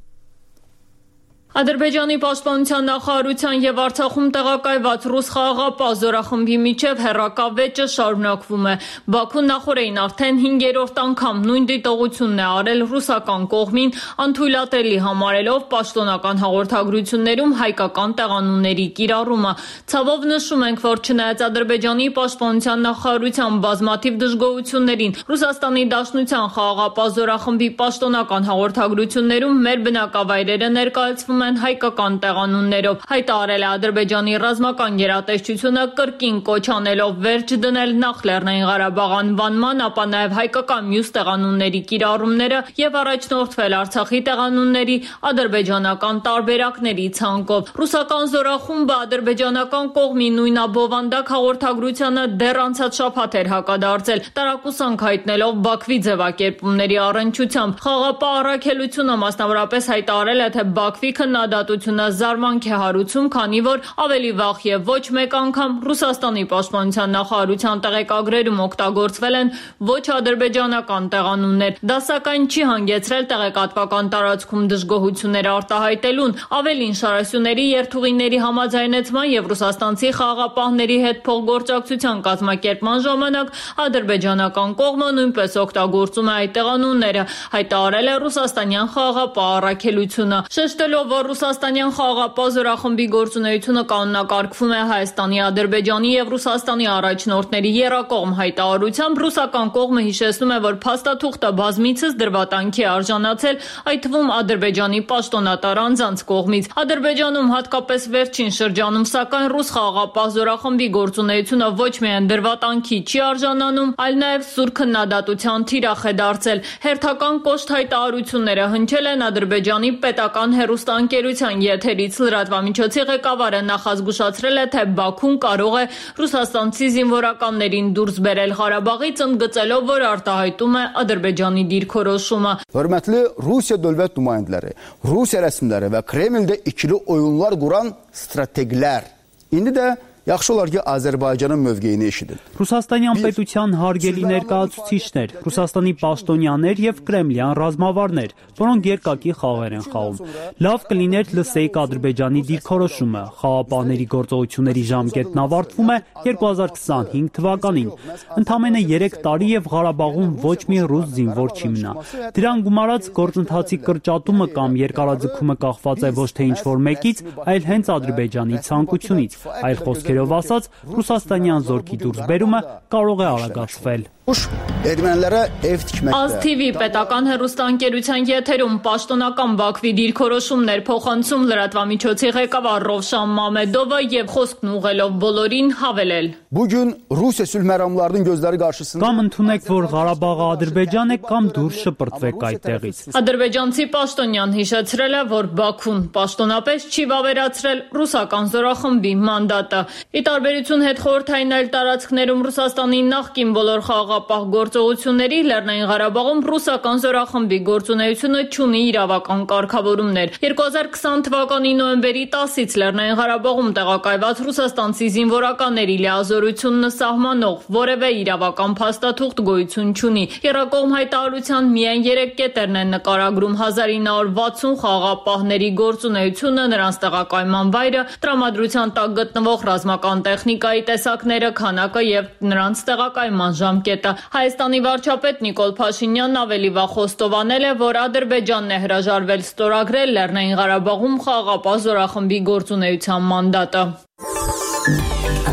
Speaker 15: Ադրբեջանի պաշտպանության նախարարության եւ Արցախում տեղակայված ռուս խաղաղապահ զորախմբի միջև հերրակավեճը շարունակվում է։ Բաքուն նախորդին արդեն հինգերորդ անգամ նույն դիտողությունն է արել ռուսական կողմին, անթույլատրելի համարելով պաշտոնական հաղորդագրություններում հայկական տեղանունների կիրառումը։ Ցավով նշում ենք, որ չնայած Ադրբեջանի պաշտպանության նախարարության բազմաթիվ դժգոհություններին, Ռուսաստանի Դաշնության խաղաղապահ զորախմբի պաշտոնական հաղորդագրություններում մեր բնակավայրերը ներկայացվում են հայկական տեղանուններով։ Հայտարարել է Ադրբեջանի ռազմական գերատեսչությունը կրկին կոչ անելով վերջ դնել նախ Լեռնային Ղարաբաղ անվանման, ապա նաև հայկական մյուս տեղանունների կիրառումները եւ առաջնորդվել Արցախի տեղանունների ադրբեջանական տարբերակների ցանկով։ Ռուսական զորախումբը ադրբեջանական կողմի նույնաբովանդակ հաղորդագրությանը դեռ անցած շաբաթ էր հակադարձել, տարակուսանք հայտնելով Բաքվի ձևակերպումների առնչությամբ։ Խաղաղապահ առաքելությունը մասնավորապես հայտարարել է, թե Բաքվի քննադատությունը զարմանք է հարուցում, քանի որ ավելի վաղ եւ ոչ մեկ անգամ Ռուսաստանի պաշտպանության նախարարության տեղեկագրերում օգտագործվել են ոչ ադրբեջանական տեղանուններ։ Դա սակայն չի հանգեցրել տեղեկատվական տարածքում դժգոհություններ արտահայտելուն, ավելին շարասյուների երթուղիների համաձայնեցման եւ ռուսաստանցի խաղաղապահների հետ փոխգործակցության կազմակերպման ժամանակ ադրբեջանական կողմը նույնպես օգտագործում է այդ տեղանունները, հայտարարել է ռուսաստանյան խաղաղապահ առաքելությունը, շեշտելով, որ ռուսաստանյան խաղաղապահ զորախմբի գործունեությունը կանոնակարգվում է Հայաստանի, Ադրբեջանի եւ Ռուսաստանի առաջնորդների եռակողմ հայտարարությամբ, ռուսական կողմը հիշեցնում է, որ փաստաթուղթը բազմիցս դրվատանքի արժանացել, այդ թվում Ադրբեջանի պաշտոնատար անձանց կողմից։ Ադրբեջանում հատկապես վերջին շրջանում, սակայն ռուս խաղաղապահ զորախմբի գործունեությունը ոչ միայն դրվատանքի չի արժանանում, այլ նաեւ սուր քննադատության թիրախ է դարձել։ Հերթական կոշտ հայտարարությունները հնչել են Ադրբեջանի պետական հեռուստաընկերության եթերից։ Լրատվամիջոցի ղեկավարը նախազգուշացրել է, թե Բաքուն կարող է ռուսաստանցի զինվորականներին դուրս բերել Ղարաբաղից, ընդգծելով, որ արտահայտում է Ադրբեջանի դիրքորոշումը։
Speaker 16: Hörmətli Rusiya dövlət nümayəndələri, Rusiya rəsmiləri və Kremldə ikili oyunlar quran strateglər. İndi də yaxşı olar ki, Azərbaycanın mövqeyini eşidin.
Speaker 9: Ռուսաստանյան պետության հարգելի ներկայացուցիչներ, Ռուսաստանի պաշտոնյաներ եւ կրեմլյան ռազմավարներ, որոնք երկակի խաղեր են խաղում։ Լավ կլիներ լսեիք Ադրբեջանի դիրքորոշումը։ Խաղապահների գործողությունների ժամկետն ավարտվում է երկու հազար քսանհինգ թվականին։ Ընդամենը երեք տարի եւ Ղարաբաղում ոչ մի ռուս զինվոր չի մնա։ Դրան գումարած գործընթացի կրճատումը կամ երկարաձգումը կախված է ոչ թե ինչ-որ մեկից, այլ հենց Ադրբեջանի ցանկությունից։ Այլ խոսքերով ասած, ռուսաստանյան զորքի դուրսբերումը կարող է արագացվել։
Speaker 16: Ermənilərə ev tikməkdə.
Speaker 15: Ազ Թի Վի պետական հեռուստաընկերության եթերում պաշտոնական Բաքվի դիրքորոշումներ փոխանցում լրատվամիջոցի ղեկավար Ռովշան Մամեդովը եւ խոսքն ուղղելով բոլորին հավելել.
Speaker 16: Bu gün Rusiya sülh məramlarının gözləri qarşısında
Speaker 9: Կամ ընդունեք, որ Ղարաբաղը Ադրբեջան է, կամ դուրս շպրտվեք այդտեղից։
Speaker 15: Ադրբեջանցի պաշտոնյան հիշեցրել է, որ Բաքուն պաշտոնապես չի վավերացրել ռուսական զորախմբի մանդատը։ Ի տարբերություն հետխորհրդային այլ տարածքներում Ռուսաստանի նախկին բոլոր խաղաղ խաղաղապահ գործողությունների Լեռնային Ղարաբաղում ռուսական զորախմբի գործունեությունը չունի իրավական կարգավորումներ։ երկու հազար քսան թվականի նոյեմբերի տասից Լեռնային Ղարաբաղում տեղակայված ռուսաստանցի զինվորականների լիազորությունն սահմանող որևէ իրավական փաստաթուղթ գոյություն չունի։ Եռակողմ հայտարարության միայն երեք կետերն են նկարագրում հազար ինը հարյուր վաթսուն խաղաղապահների գործունեությունը, նրանց տեղակայման վայրը, տրամադրության տակ գտնվող ռազմական տեխնիկայի տեսակները, քանակը եւ նրանց տեղակայման ժամկետը։ Հայաստանի վարչապետ Նիկոլ Փաշինյանն ավելի վաղ խոստովանել է, որ Ադրբեջանն է հրաժարվել ստորագրել Լեռնային Ղարաբաղում խաղաղապահ զորախմբի գործունեության մանդատը։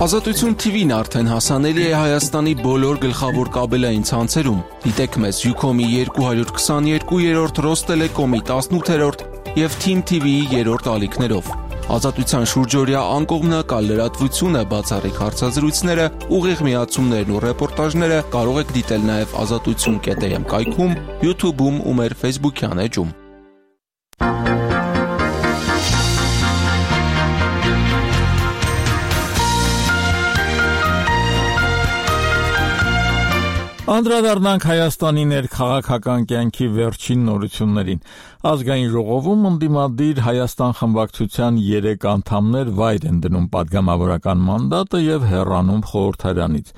Speaker 17: Ազատություն թիվին արդեն հասանելի է Հայաստանի բոլոր գլխավոր կաբելային ցանցերում։ Դիտեք մեզ Յուքոմի երկու հարյուր քսաներկու, Ռոստելեկոմի տասնութերորդ եւ Թիմ թիվիի երրորդ ալիքներով։ Ազատության շուրջօրյա անկողմնակալ լրատվությունը, բացառիկ հարցազրույցները, ուղիղ միացումներն ու ռեպորտաժները կարող եք դիտել նաև ազատություն կետ էմ կայքում, YouTube-ում ու մեր Facebook-յան էջում։
Speaker 1: Անդրադառնանք Հայաստանի ներքաղաքական կյանքի վերջին նորություններին։ Ազգային ժողովում ընդդիմադիր Հայաստան խմբակցության երեք անդամներ վայր են դնում պատգամավորական մանդատը եւ հեռանում խորհրդարանից։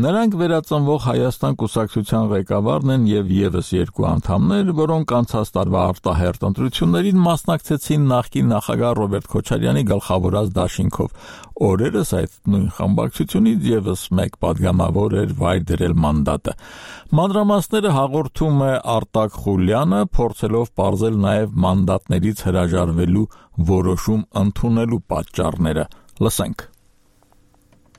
Speaker 1: Նրանք վերածնվող Հայաստան կուսակցության ղեկավարն են եւ եւս երկու անդամներ, որոնք անցած տարվա արտահերթ ընտրություններին մասնակցեցին նախկին նախագահ Ռոբերտ Քոչարյանի գլխավորած դաշինքով։ Օրերս այդ նույն խմբակցությունից եւս մեկ պատգամավոր էր վայր դրել մանդատը։ Մանրամասները հաղորդում է Արտակ Խուլյանը, փորձելով պարզել նաև մանդատներից հրաժարվելու որոշում ընդունելու պատճառները։ Լսենք։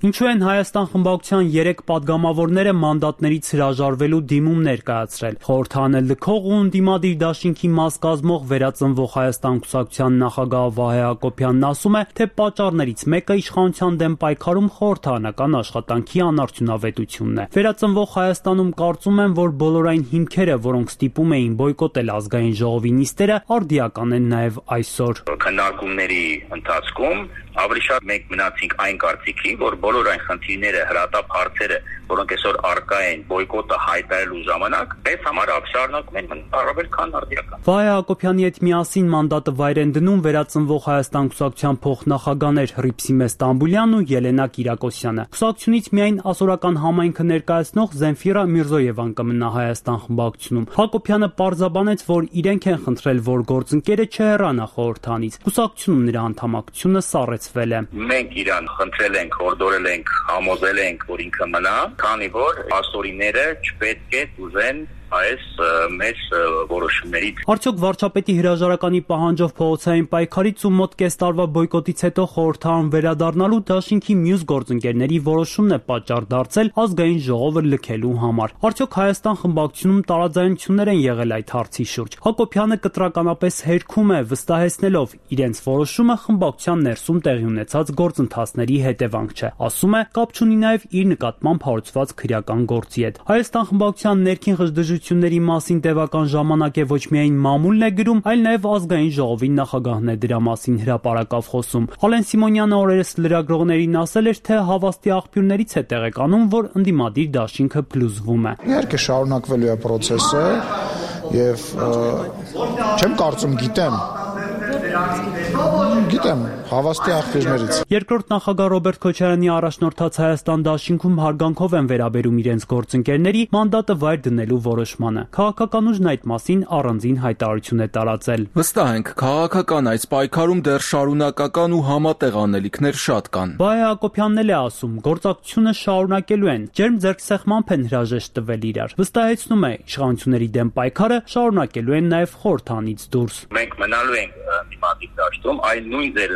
Speaker 9: Ինչու են Հայաստան խմբակցության երեք պատգամավորները մանդատներից հրաժարվելու դիմումներ կայացրել։ Խորհրդարանը լքող ու ընդդիմադիր դաշինքի մաս կազմող վերածնվող Հայաստան կուսակցության նախագահ Վահե Հակոբյանն ասում է, թե պատճառներից մեկը իշխանության դեմ պայքարում խորհրդարանական աշխատանքի անարդյունավետությունն է։ Վերածնվող Հայաստանում կարծում են, որ բոլոր այն հիմքերը, որոնք ստիպում էին բոյկոտել ազգային ժողովի նիստերը, արդիական են նաև այսօր։
Speaker 18: Քննարկումների ընթացքում ավելի շատ մենք մնացինք այն կարծիքի, որ բոլոր այն խնդիրները, հրատապ հարցերը, որոնք այսօր առկա են բոյկոտը հայտարարելու ժամանակ, այս համար շարունակում են առավել քան արդիական։
Speaker 9: Վահե Հակոբյանի հետ միասին մանդատը վայր են դնում վերածնվող Հայաստան կուսակցության փոխնախագահներ Հռիփսիմե Ստամբուլյանն ու Ելենա Կիրակոսյանը։ Կուսակցությունից միայն ասորական համայնքը ներկայացնող Զենֆիրա Միրզոևան կմնա Հայաստան խմբակցությունում։ Հակոբյանը պարզաբանեց, որ իրենք են խնդրել, որ գործընկերը չհեռանա խորհրդանից։ Կուսակցությունում նրա անդամակցությունը սառեցվել է։
Speaker 18: Մենք իրան խնդրել ենք, հորդորել ենք, համոզել ենք, որ ինքը մնա, քանի որ ասորիները չպետք է ուզեն այս մեծ որոշումներից։
Speaker 9: Արդյոք վարչապետի հրաժարականի պահանջով փողոցային պայքարից ու մոտ կես տարվա բոյկոտից հետո խորհրդարան վերադառնալու դաշինքի մյուս գործընկերների որոշումն է պատճառ դարձել ազգային ժողովը լքելու համար։ Արդյոք Հայաստան խմբակցությունում տարաձայնություններ են եղել այդ հարցի շուրջ։ Հակոբյանը կտրականապես հերքում է, վստահեցնելով իրենց որոշումը խմբակցության ներսում տեղի ունեցած գործընթացների հետևանք չէ։ Ասում է, կապ չունի նաև իր նկատմամբ հարուցված քրեական գործի հետ։ Հայաստան խմբակցության ներքին ղժդժությունների մասին տևական ժամանակ է ոչ միայն մամուլն է գրում, այլ նաև ազգային ժողովի նախագահն է դրա մասին հրապարակավ խոսում։ Ալեն Սիմոնյանը օրերս լրագրողներին ասել էր, թե հավաստի աղբյուրներից է տեղեկանում, որ ընդդիմադիր դաշինքը փլուզվում է։
Speaker 19: Իհարկե շարունակվելու է process-ը եւ չեմ կարծում գիտեմ Գիտեմ, հավաստի աղբյուրներից։
Speaker 9: Երկրորդ նախագահ Ռոբերտ Քոչարյանի առաջնորդած Հայաստան դաշինքում հարգանքով են վերաբերում իրենց գործընկերների մանդատը վայր դնելու որոշմանը։ Քաղաքական ուժն այդ մասին առանձին հայտարարություն է տարածել։
Speaker 17: Վստահ ենք, քաղաքական այս պայքարում դեռ շարունակական ու համատեղ անելիքներ շատ կան։
Speaker 9: Վահե Հակոբյանն էլ է ասում, գործակցությունը շարունակելու են, ջերմ ձեռքսեղմամբ են հրաժեշտ տվել իրար։ Վստահեցնում է, իշխանությունների դեմ պայքարը շարունակելու են նաև խորհրդանից դուրս։
Speaker 18: Մենք մնալու ենք դիմադիր դաշտում, այն նույն ձեր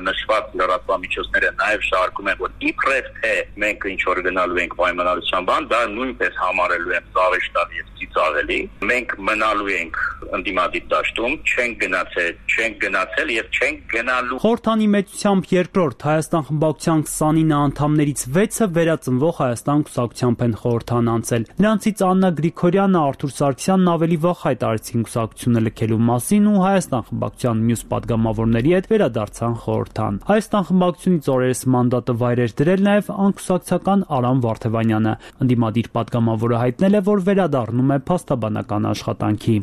Speaker 18: նշված լրատվամիջոցները նաև շարքում են, որ իբրև թե մենք ինչ որ գնալու ենք պայմանավորության բան, դա նույնպես համարելու են զավեշտալ եւ ծիծաղելի։ Մենք մնալու ենք ընդդիմադիր դաշտում, չենք գնացել, չենք գնացել եւ չենք գնալու։
Speaker 9: Խորհրդանի մեծությամբ երկրորդ Հայաստան խմբակցության քսանինը անդամներից վեցը վերածնվող Հայաստան կուսակցությամբ են խորհրդան անցել։ Նրանցից Աննա Գրիգորյանը, Արթուր Սարգսյանն ավելի վաղ հայտարարեցին կուսակցությունը լքելու մասին ու Հայաստան խմբակցության մյուս падգամավորների հետ վերադարձան խորհրդան։ Հայաստան խմբակցությունից օրերս մանդատը վայր էր դրել նաև անկուսակցական Արամ Վարդևանյանը։ Ընդդիմադիր падգամավորը հայտնել է, որ վերադառնում է փաստաբանական աշխատանքի։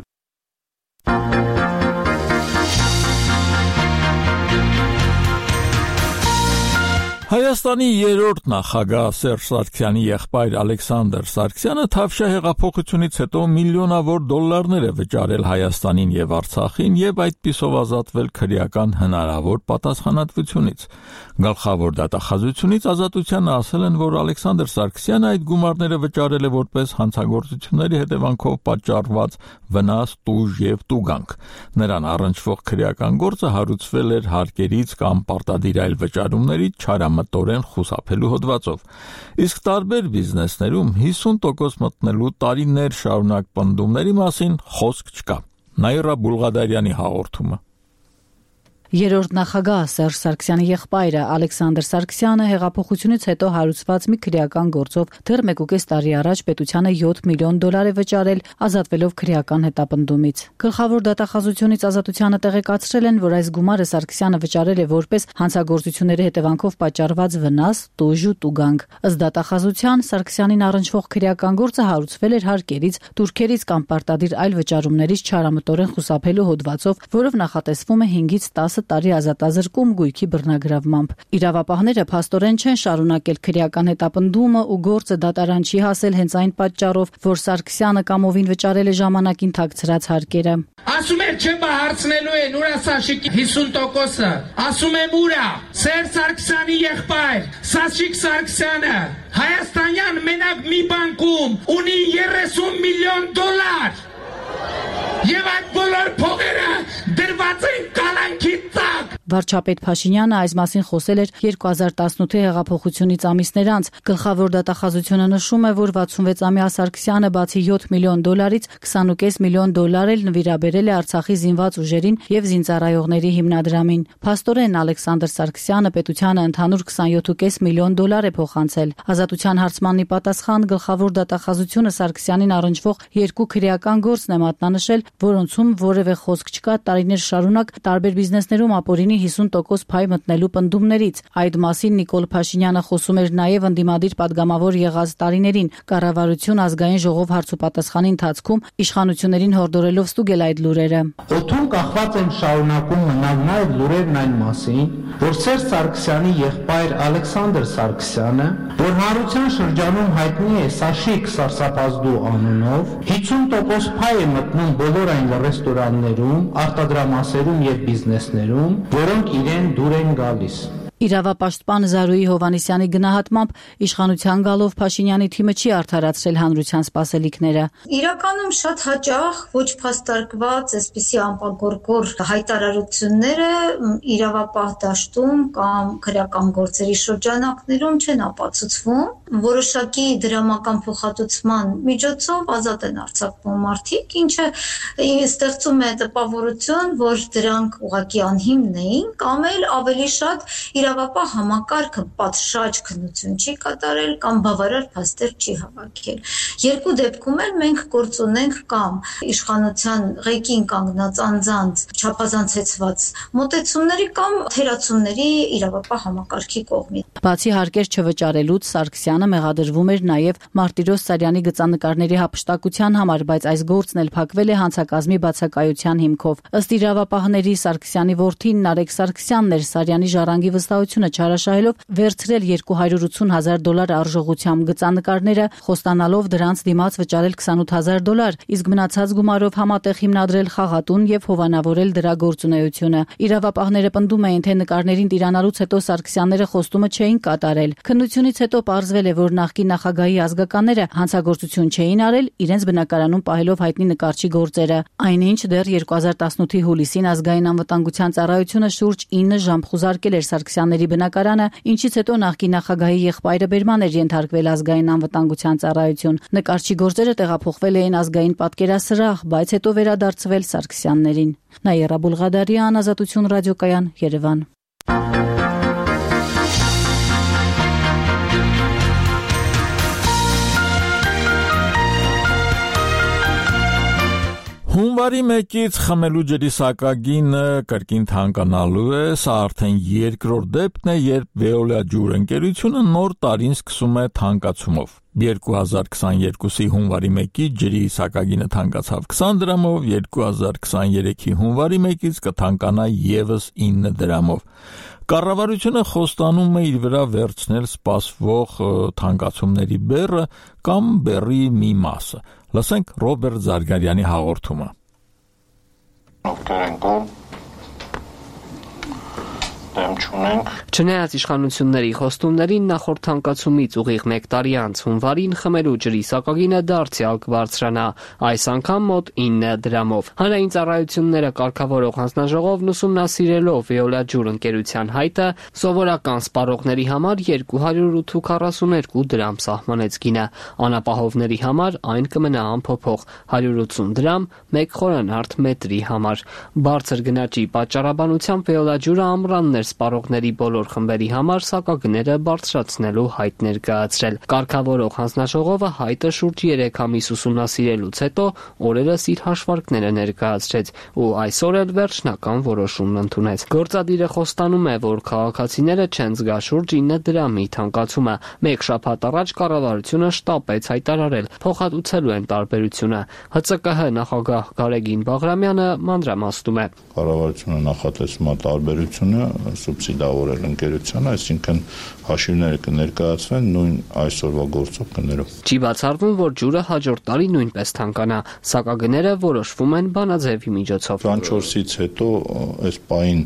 Speaker 1: Հայաստանի երրորդ նախագահ Սերժ Սարգսյանի եղբայր Ալեքսանդր Սարգսյանը Թավշյա հեղափոխությունից հետո միլիոնավոր դոլարներ է վճարել Հայաստանին եւ Արցախին եւ այդպիսով ազատվել քրեական հնարավոր պատասխանատվությունից։ Գլխավոր դատախազությունից Ազատությանը ասել են, որ Ալեքսանդր Սարգսյանը այդ գումարները վճարել է որպես հանցագործությունների հետևանքով պատճառված վնաս, տուժ եւ տուգանք։ Նրան առնչվող քրեական գործը հարուցվել էր հարկերից կամ պարտադիր այլ վճարումներից չարամտորեն խուսափելու հոդվածով։ Իսկ տարբեր բիզնեսներում հիսուն տոկոս մտնելու տարիներ շարունակ պնդումների մասին խոսք չկա։ Նաիրա Բուլղադարյանի հաղորդումը։
Speaker 3: Երրորդ նախագահ Սերժ Սարգսյանի եղբայրը Ալեքսանդր Սարգսյանը հեղափոխությունից հետո հարուցված մի քրեական գործով դեռ մեկուկես տարի առաջ պետությանը յոթ միլիոն դոլար է վճարել, ազատվելով քրեական հետապնդումից։ Գլխավոր դատախազությունից Ազատությանը տեղեկացրել են, որ այս գումարը Սարգսյանը վճարել է որպես հանցագործությունների հետևանքով պատճառված վնաս, տուժ ու տուգանք։ Ըստ դատախազության Սարգսյանին առնչվող քրեական գործը հարուցվել էր հարկերից, турքերից կամ պարտադիր այլ վճարումներից չարամտորեն խուսափելու հոդվածով, որով նախատեսվում է հինգից տասը տարի ազատազրկում գույքի բռնագրավմամբ։ Իրավապահները փաստորեն չեն շարունակել քրեական հետապնդումը ու գործը դատարան չի հասել հենց այն պատճառով, որ Սարգսյանը կամովին վճարել է ժամանակին թաքցրած հարկերը։
Speaker 13: Ասում եմ չէ բա հարցնելու են ուրա Սաշիկի հիսուն տոկոսը։ Ասում եմ ուրա Սերժ Սարգսյանի եղբայր Սաշիկ Սարգսյանը հայաստանյան մենակ մի բանկում ունի երեսուն միլիոն դոլար։ Եվ այդ բոլոր փողերը դրված են կալանքի տակ։
Speaker 3: Վարչապետ Փաշինյանը այս մասին խոսել էր երկու հազար տասնութի հեղափոխությունից ամիսներ անց։ Գլխավոր դատախազությունը նշում է, որ վաթսունվեց-ամյա Սարգսյանը բացի յոթ միլիոն դոլարից քսանուկես միլիոն դոլար էլ նվիրաբերել է Արցախի զինված ուժերին եւ զինծառայողների հիմնադրամին։ Փաստորեն Ալեքսանդր Սարգսյանը պետությանը ընդհանուր քսանյոթուկես միլիոն դոլար է փոխանցել։ Ազատության հարցմանի պատասխան գլխավոր դատախազությունը Սարգսյանին առնչվող երկու քրեական գործն է մատնանշել, որոնցում որևէ խոսք չկա տարիներ շարունակ տարբեր բիզնեսներում ապօրինի հիսուն տոկոս փայ մտնելու պնդումներից։ Այդ մասին Նիկոլ Փաշինյանը խոսում էր նաև ընդդիմադիր падգամավոր եղած տարիներին։ Կառավարություն ազգային ժողով հարցուպատասխանի ընթացքում իշխանություններին հորդորելով ստուգել այդ լուրերը։
Speaker 13: Օդում կախված են շարունակում մնալ նաև լուրերն այն մասին, որ Սերժ Սարգսյանի եղբայր Ալեքսանդր Սարգսյանը, որ հանրության շրջանում հայտնի է Սաշիկ Սարսափազդու անունով, հիսուն տոկոս փայ է մտնում բոլոր այն ռեստորաններում, արտադրամասերում եւ բիզնեսներում, որոնք իրեն դուր են գալիս։
Speaker 3: Իրավապաշտպան Զարուհի Հովհաննիսյանի գնահատմամբ իշխանության գալով Փաշինյանի թիմը չի արդարացրել հանրության սպասելիքները։
Speaker 20: Իրականում շատ հաճախ ոչ փաստարկված այսպիսի անպագորգոր հայտարարությունները իրավապահ դաշտում կամ քրեական գործերի շրջանակներում չեն ապացուցվում, որոշակի դրամական փոխհատուցման միջոցով ազատ են արձակվում մարդիկ, ինչը ստեղծում է տպավորություն, որ դրանք ուղղակի անհիմն էին, կամ էլ ավելի շատ իրավապահ համակարգը պատշաճ քննություն չի կատարել կամ բավարար փաստեր չի հավաքել։ Երկու դեպքում էլ մենք գործ ունենք կամ իշխանության ղեկին կանգնած անձանց չափազանցեցված մոտեցումների կամ թերացումների իրավապահ համակարգի կողմից։
Speaker 3: Բացի հարկեր չվճարելուց Սարգսյանը մեղադրվում էր նաև Մարտիրոս Սարյանի գծանկարների հափշտակության համար, բայց այս գործն էլ փակվել է հանցակազմի բացակայության հիմքով։ Ըստ իրավապահների Սարգսյանի որդին Նարեկ Սարգսյանն էր Սարյանի ժառանգի վստահությունը չարաշահելով վերցրել երկու հարյուր ութուն հազար դոլար արժողությամբ գծանկարները, խոստանալով դրանց դիմաց վճարել քսանութ հազար դոլար, իսկ մնացած գումարով համատեղ հիմնադրել խաղատուն եւ հովանավորել դրա գործունեությունը։ Իրավապահները պնդում էին, թե նկարներին տիրանալուց հետո Սարգսյանները խոստումը չէին կատարել։ Քննությունից հետո պարզվել է, որ նախկին նախագահի ազգականները հանցագործություն չէին արել, իրենց բնակարանում պահելով հայտնի նկարչի գործերը։ Այնինչ դեռ երկու հազար տասնութի հուլիսին ազգային անվտանգության ծառայությունը շուրջ ինը ժամ խուզարկել էր Սարգսյանների բնակարանը, ինչից հետո նախկին նախագահի եղբայրը բերման էր ենթարկվել ազգային անվտանգության ծառայություն։ Նկարչի գործերը տեղափոխվել էին ազգային պատկերասրահ, բայց հետո վերադարձվել Սարգսյաններին։ Նաիրա Բուլղադարյան, Ազատություն ռադիոկայան, Երևան։
Speaker 1: Հունվարի մեկից խմելու ջրի սակագինը կրկին թանկանալու է, սա արդեն երկրորդ դեպքն է, երբ Veolia ջուր ընկերությունը նոր տարին սկսում է թանկացումով։ երկու հազար քսաներկուսի հունվարի մեկից ջրի սակագինը թանկացավ քսան դրամով, երկու հազար քսաներեքի հունվարի մեկից կթանկանա ևս ինը դրամով։ Կառավարությունը խոստանում է իր վրա վերցնել սպասվող թանկացումների բեռը կամ բեռի մի մասը։ Լսենք Ռոբերտ Զարգարյանի հաղորդումը։
Speaker 21: Չնայած իշխանությունների խոստումներին նախորդ թանկացումից ուղիղ մեկ տարի անց հունվարին խմելու ջրի սակագինը դարձյալ կբարձրանա, այս անգամ մոտ ինը դրամով։ Հանրային ծառայությունները կարգավորող հանձնաժողովն ուսումնասիրելով Veolia ջուր ընկերության հայտը սովորական սպառողների համար երկու հարյուր քառասուներկու դրամ սահմանեց գինը, անապահովների համար այն կմնա անփոփոխ հարյուր ութսուն դրամ մեկ խորանարդ մետրի համար։ Բարձր գնաճի պատճառաբանությամբ Veolia ջուրը ամռաններ սպառողների բոլոր խմբերի համար սակագները բարձրացնելու հայտ ներկայացրել։ Կարգավորող հանձնաժողովը հայտը շուրջ երեք ամիս ուսումնասիրելուց հետո օրերս իր հաշվարկները ներկայացրեց ու այսօր էլ վերջնական որոշումն ընդունեց։ Գործադիրը խոստանում է, որ քաղաքացիները չեն զգա շուրջ ինը դրամի թանկացումը։ Մեկ շաբաթ առաջ կառավարությունը շտապեց հայտարարել, փոխհատուցելու են տարբերությունը։ ՀՑԿՀ նախագահ Գարեգին Բաղրամյանը մանրամասնում է։
Speaker 22: Կառավարությունը նախատեսում է տարբերությունը սուբսիդավորել ընկերությանը, այսինքն հաշիվները կներկայացվեն նույն այսօրվա գործող գներով։
Speaker 21: Չի բացառվում, որ ջուրը հաջորդ տարի նույնպես թանկանա, սակագները որոշվում են բանաձևի միջոցով։
Speaker 22: քսանչորսից հետո այս պահին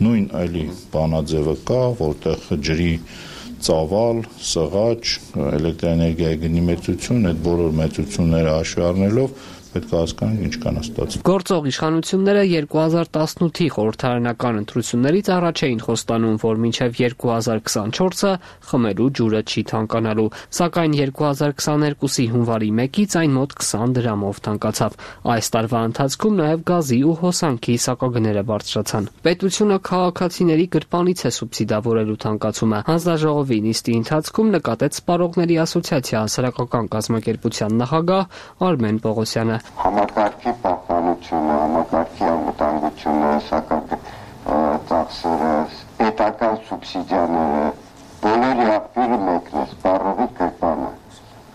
Speaker 22: նույն այլի բանաձևը կա, որտեղ ջրի ծավալ, սղաճ, էլեկտրաէներգիայի գնի մեծություն, այդ բոլոր մեծությունները հաշվի առնելով պետք է հասկանանք ինչ կան ստացվում։
Speaker 21: Գործող իշխանությունները երկու հազար տասնութի խորհրդարանական ընտրություններից առաջ էին խոստանում, որ մինչև երկու հազար քսանչորսը խմելու ջուրը չի թանկանալու, սակայն երկու հազար քսաներկուսի հունվարի մեկից այն մոտ քսան դրամով թանկացավ։ Այս տարվա ընթացքում նաև գազի ու հոսանքի սակագները բարձրացան։ Պետությունը քաղաքացիների գրպանից է սուբսիդավորելու թանկացումը։ Հանձնաժողովի նիստի ընթացքում նկատեց Սպառողների ասոցիացիա հասարակական կազմակերպության նախագահ Արմեն Պողոսյանը։
Speaker 23: Համակարգի պահպանությունը, համակարգի անվտանգությունը, սակայն ծախսերը, պետական սուբսիդիաները, բոլորի աղբյուրը մեկն է, սպառողի գրպանը։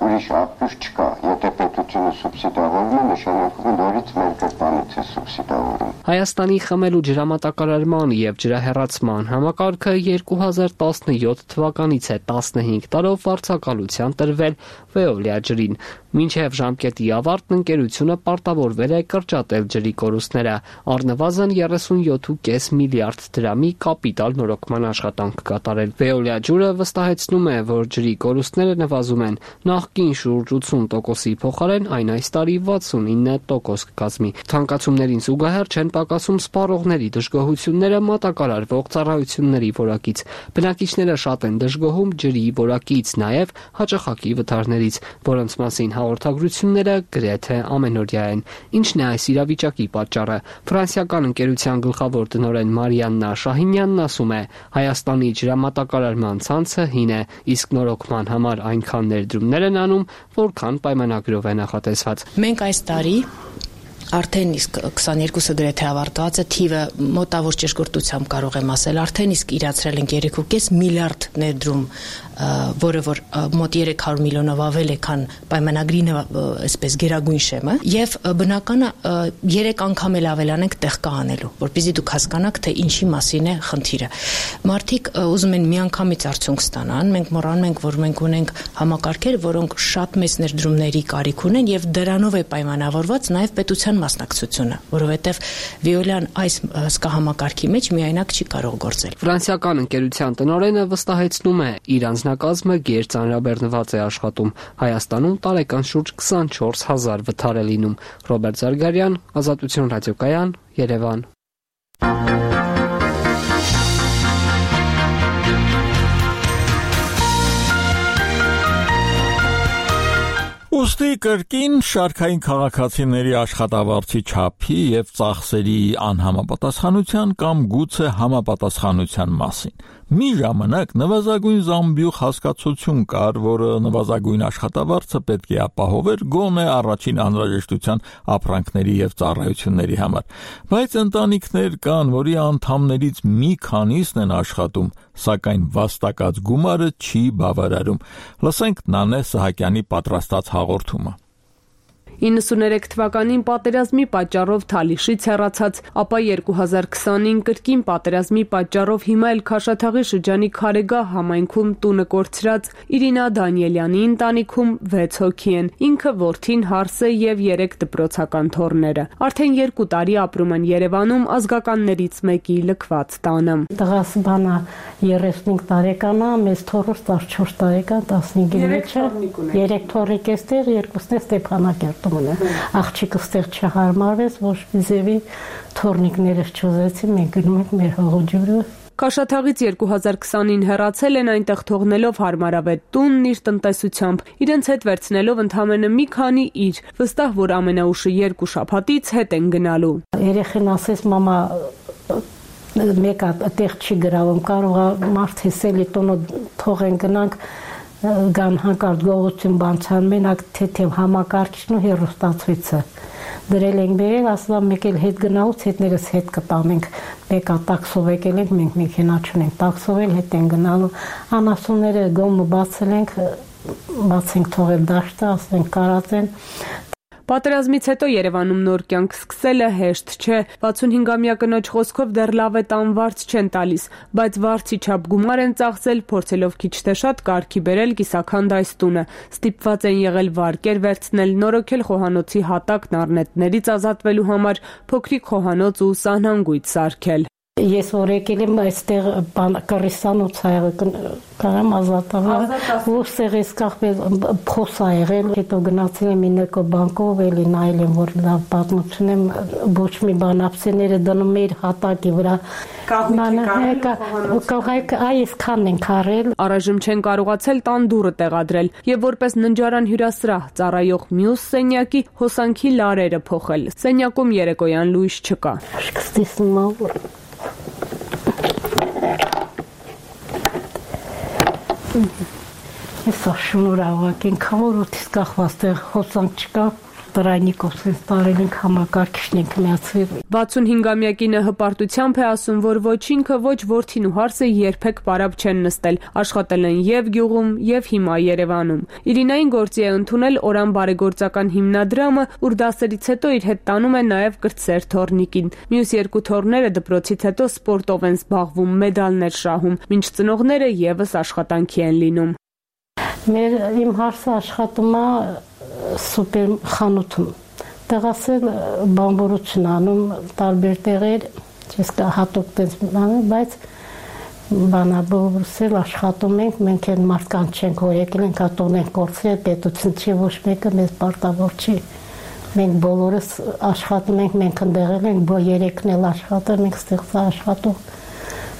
Speaker 23: Ուրիշ աղբյուր չկա։ Եթե պետությունը սուբսիդավորում է, նշանակում է նորից մեր գրպանից է սուբսիդավորում։
Speaker 21: Հայաստանի խմելու ջրամատակարարման եւ ջրահեռացման համակարգը երկու հազար տասնյոթ թվականից է տասնհինգ տարով վարձակալության տրվել Veolia ջրին։ Մինչև ժամկետի ավարտն ընկերությունը պարտավորվել է կրճատել ջրի կորուստները, առնվազն երեսունյոթ կόμμα պենս միլիարդ դրամի կապիտալ նորոգման աշխատանք կատարել։ Veolia ջուրը վստահեցնում է, որ ջրի կորուստները նվազում են, նախկին շուրջ ութսուն տոկոսի փոխարեն այն այս տարի վաթսունինը տոկոս կկազմի։ Թանկացումներին զուգահեռ չեն պակասում սպառողների դժգոհությունները մատակարարվող ծառայությունների որակից։ Բնակիչները շատ են դժգոհում ջրի որակից, նաև հաճախակի վթարներից, որոնց մասին հաղորդագրությունները գրեթե ամենօրյա են։ Ինչն է այս իրավիճակի պատճառը։ Ֆրանսիական ընկերության գլխավոր տնօրեն Մարիաննա Շահինյանն ասում է. Հայաստանի ջրամատակարարման ցանցը հին է, իսկ նորոգման համար այնքան ներդրումներ են անում, որքան պայմանագրով է նախատեսված։
Speaker 24: Մենք այս տարի արդեն իսկ քսաներկուսը գրեթե ավարտված է, թիվը մոտավոր ճշգրտությամբ կարող եմ ասել, արդեն իսկ իրացրել ենք երեք կόμma պենս միլիարդ ներդրում, որը որ մոտ երեք հարյուր միլիոնով ավել է, քան պայմանագրի այսպես գերագույն շեմը, եւ բնականը երեք անգամ էլ ավելանենք տեղ կա անելու, որպեսզի դուք հասկանաք, թե ինչի մասին է խնդիրը։ Մարդիկ ուզում են միանգամից արդյունք ստանան, մենք մոռանում ենք, որ մենք ունենք համակարգեր, որոնք շատ մեծ ներդրումների կարիք ունեն եւ դրանով է պայմանավորված նաեւ պետության մասնակցությունը, որովհետև Veolia-ն այս հսկա համակարգի մեջ միայնակ չի կարող գործել։
Speaker 21: Ֆրանսիական ընկերության տնօրենը վստահեցնում է, իր անձնակազմը գերծանրաբեռնված է աշխատում։ Հայաստանում տարեկան շուրջ քսանչորս հազար վթար է լինում։ Ռոբերտ Զարգարյան, Ազատություն ռադիոկայան, Երևան։
Speaker 1: Ոստի կրկին շարքային քաղաքացիների աշխատավարձի չափի եւ ծախսերի անհամապատասխանության կամ գուցե համապատասխանության մասին։ Մի ժամանակ նվազագույն զամբյուղ հասկացություն կար, որը նվազագույն աշխատավարձը պետք է ապահովեր գոնե առաջին անհրաժեշտության ապրանքների եւ ծառայությունների համար։ Բայց ընտանիքներ կան, որի անդամներից մի քանիսն են աշխատում, սակայն վաստակած գումարը չի բավարարում։ Լսենք Նանե Սահակյանի պատրաստած հաղորդումը։
Speaker 2: իննսուներեք թվականին պատերազմի պատճառով Թալիշից հեռացած, ապա երկու հազար քսանին կրկին պատերազմի պատճառով հիմա էլ Քաշաթաղի շրջանի Քարեգահ համայնքում տունը կորցրած Իրինա Դանիելյանի ընտանիքում վեց հոգի են, ինքը որդին, հարսը եւ երեք դպրոցական թոռները։ Արդեն երկու տարի ապրում են Երևանում ազգականներից մեկի լքված տանը։
Speaker 4: Տղաս բանա երեսունհինգ տարեկան է, մեծ թոռս տասնչորս տարեկան, տասնհինգի մեջ է, երեք թոռիկ էստեղ, երկուսն է Ստեփանակերտ։ Աղջիկը ստեղ չհարմարվեց, ոչ մի ձևի թորնիկներս չուզեցին, մենք գնում ենք մեր հողջուրը։
Speaker 2: Քաշաթաղից երկու հազար քսանին հեռացել են այնտեղ թողնելով հարմարավետ տունն իր տնտեսությամբ, իրենց հետ վերցնելով ընդամենը մի քանի իր, վստահ որ ամենաուշը երկու շաբաթից հետ են գնալու։
Speaker 4: Երեխեն ասեց մամա մեկը այդտեղ չի գրավում, կարող է մարդ հեսելի տունը թողեն գնանք գան հանկարծ գողություն բանցան մենակ թեթև համակարգիչն ու հեռուստացույցը դրել ենք բերել, ասලා մեկ էլ հետ գնալուց հետներս հետ կտանենք, մեկա տաքսով եկել ենք, մենք մեքենա չունենք, տաքսով էլ հետ են գնալու, անասունները գոմը բացել ենք, բացենք թողել դաշտը, ասենք կարածեն։
Speaker 2: Պատերազմից հետո Երևանում նոր կյանք սկսելը հեշտ չէ, վաթսունհինգամյա կնոջ խոսքով դեռ լավ է տան վարձ չեն տալիս, բայց վարձի չափ գումար են ծախսել, փորձելով քիչ թե շատ կարգի բերել կիսաքանդ այս տունը, ստիպված են եղել վարկեր վերցնել, նորոգել խոհանոցի հատակն առնետներից ազատվելու համար, փոքրիկ խոհանոց ու սահնանգույց սարքել։
Speaker 4: Ես որ եկել եմ այստեղ կռիսանոց ա եղել, կարամ ազատավար, որ սեղես կախվել փոս ա եղել, հետո գնացել եմ ինեկո բանկով, էլի նայել եմ, որ լավ պատմություն եմ, ոչ մի բան ապսեները դնում էր հատակի վրա։ Այսքան ենք արել։
Speaker 2: Առայժմ չեն կարողացել տան դուռը տեղադրել եւ որպես ննջարան հյուրասրահ ծառայող մյուս սենյակի հոսանքի լարերը փոխել։ Սենյակում երեկոյան լույս չկա։
Speaker 4: Ես շնորհավորակ ենք, որ ոտից կախված տեղ հոսանք չկա, տրայնիկով սենց տարել ենք համակարգիչն ենք միացվել։
Speaker 2: վաթսունհինգամյակինը հպարտությամբ է ասում, որ ոչ ինքը, ոչ որդին ու հարսը երբեք պարապ չեն նստել, աշխատել են եւ գյուղում, եւ հիմա Երևանում։ Իրինային գործի է ընդունել Օրան բարեգործական հիմնադրամը, ուր դասերից հետո իր հետ տանում է նաեւ կրտսեր թոռնիկին։ Մյուս երկու թոռները դպրոցից հետո սպորտով են զբաղվում, մեդալներ շահում, մինչ ծնողները եւս աշխատանքի են լինում։
Speaker 4: Մեր իմ հարսը աշխատում է սուպեր խանութում, տեղասել բամբորություն անում, տարբեր տեղեր, չես կա հատուկ տենց անում, բայց բանաբորսել աշխատում ենք, մենք են մարդկանց չենք որ եկել ենք հատոն ենք կործել, պետություն չի ոչ մեկը մեզ պարտավոր չի, մենք բոլորս աշխատում ենք, մենք ընդեղել ենք, երեքն էլ աշխատել, մենք ստեղծ աշխատում,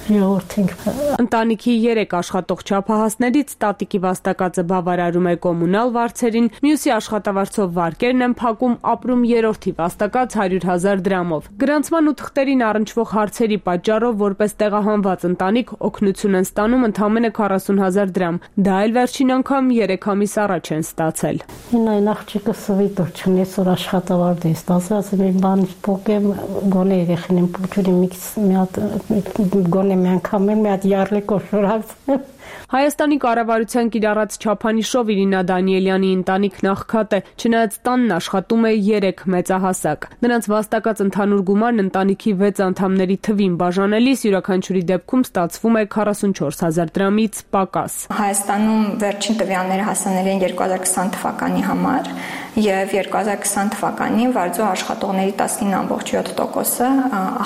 Speaker 2: Ընտանիքի երեք աշխատող չափահասներից տատիկի վաստակածը բավարարում է կոմունալ վարձերին, մյուսի աշխատավարձով վարկերն են փակում, ապրում երրորդի վաստակած հարյուր հազար դրամով։ Գրանցման ու թղթերին առնչվող հարցերի պատճառով որպես տեղահանված ընտանիք օգնություն են ստանում ընդամենը քառասուն հազար դրամ, դա էլ վերջին անգամ երեք ամիս առաջ են ստացել։
Speaker 4: Այն աղջիկը սվիտոր չունի, այսօր աշխատավարձ է ստացել, ասել եմ բանից փոկեմ, գոնե երեխին եմ փոքրի մի հատ գոնե մի անգամ մի հատ յարլիկով շորացել։
Speaker 2: Հայաստանի կառավարության կիրառած չափանիշով Իրինա Դանիելյանի ընտանիքն աղքատ է, չնայած տանն աշխատում է երեք մեծահասակ։ Նրանց վաստակած ընդհանուր գումարն ընտանիքի վեց անդամների թվին բաժանելիս յուրաքանչյուրի դեպքում ստացվում է քառասունչորս հազար դրամից պակաս։
Speaker 5: Հայաստանում վերջին տվյալները հասանելի են երկու հազար քսան թվականի համար եւ երկու հազար քսան թվականին վարձու աշխատողների տասնինը ամբողջ յոթ տոկոսը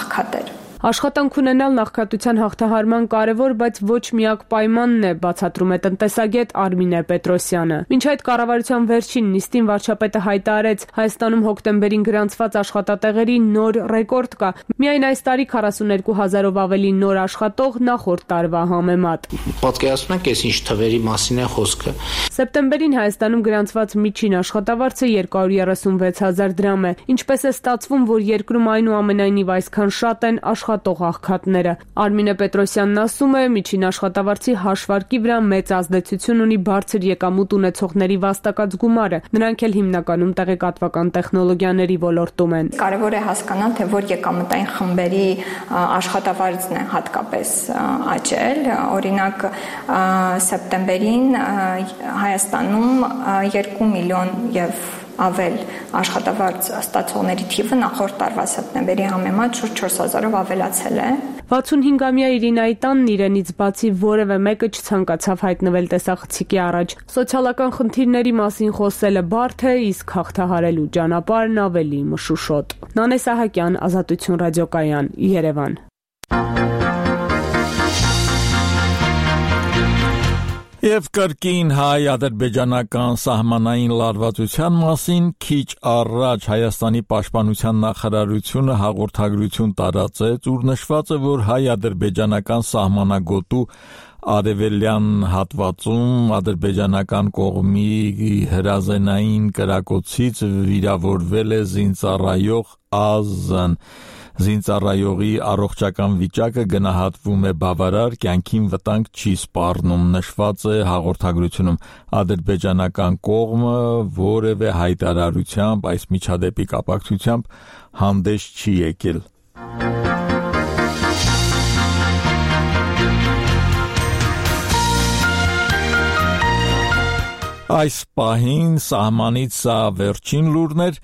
Speaker 5: աղքատ էր։
Speaker 2: Աշխատանք ունենալ նախկատության հաղթահարման կարևոր, բայց ոչ միակ պայմանն է, բացատրում է տնտեսագետ Արմինե Պետրոսյանը։ Մինչ այդ կառավարության վերջին նիստին վարչապետը հայտարարեց, Հայաստանում հոկտեմբերին գրանցված աշխատատեղերի նոր ռեկորդ կա։ Միայն այս տարի քառասուներկու հազարով ավելի նոր աշխատող նախորդ տարվա համեմատ։
Speaker 13: Պատկերացնում եք, այս ինչ թվերի մասին է խոսքը։
Speaker 2: Սեպտեմբերին Հայաստանում գրանցված միջին աշխատավարձը երկու հարյուր երեսունվեց հազար դրամ է։ Ինչպես է ստացվում, որ երկրում այնուամենայնիվ այսքան շատ են աշխատող աղքատները։ Արմինե Պետրոսյանն ասում է, միջին աշխատավարձի հաշվարկի վրա մեծ ազդեցություն ունի բարձր եկամուտ ունեցողների վաստակած գումարը։ Նրանք էլ հիմնականում տեղեկատվական տեխնոլոգիաների ոլորտում են։
Speaker 5: Կարևոր է հասկանալ, թե որ եկամտային խմբերի աշխատավարձն է հատկապես աճել։ Օրինակ, սեպտեմբերին Հայաստանում երկու միլիոն եւ ավել աշխատավարձ ստացողների թիվը նախորդ տարվա սեպտեմբերի համեմատ շուրջ չորս հազարով ավելացել է։
Speaker 2: վաթսունհինգամյա Իրինայի տանն իրենից բացի որևէ մեկը չցանկացավ հայտնվել տեսախցիկի առաջ։ Սոցիալական խնդիրների մասին խոսելը բարդ է, իսկ հաղթահարելու ճանապարհն ավելի մշուշոտ։ Նանե Սահակյան, Ազատություն ռադիոկայան, Երևան։
Speaker 1: Եվ կրկին հայ-ադրբեջանական սահմանային լարվածության մասին քիչ առաջ Հայաստանի պաշտպանության նախարարությունը հաղորդագրություն տարածեց, ուր նշված է, որ հայ-ադրբեջանական սահմանագոտու արևելյան հատվածում ադրբեջանական կողմի հրազենային կրակոցից վիրավորվել է զինծառայող Ազն։ Զինծառայողի առողջական վիճակը գնահատվում է բավարար, կյանքին վտանգ չի սպառնում, նշված է հաղորդագրությունում։ Ադրբեջանական կողմը որևէ հայտարարությամբ այս միջադեպի կապակցությամբ հանդես չի եկել։ Այս պահին սահմանից սա վերջին լուրն էր,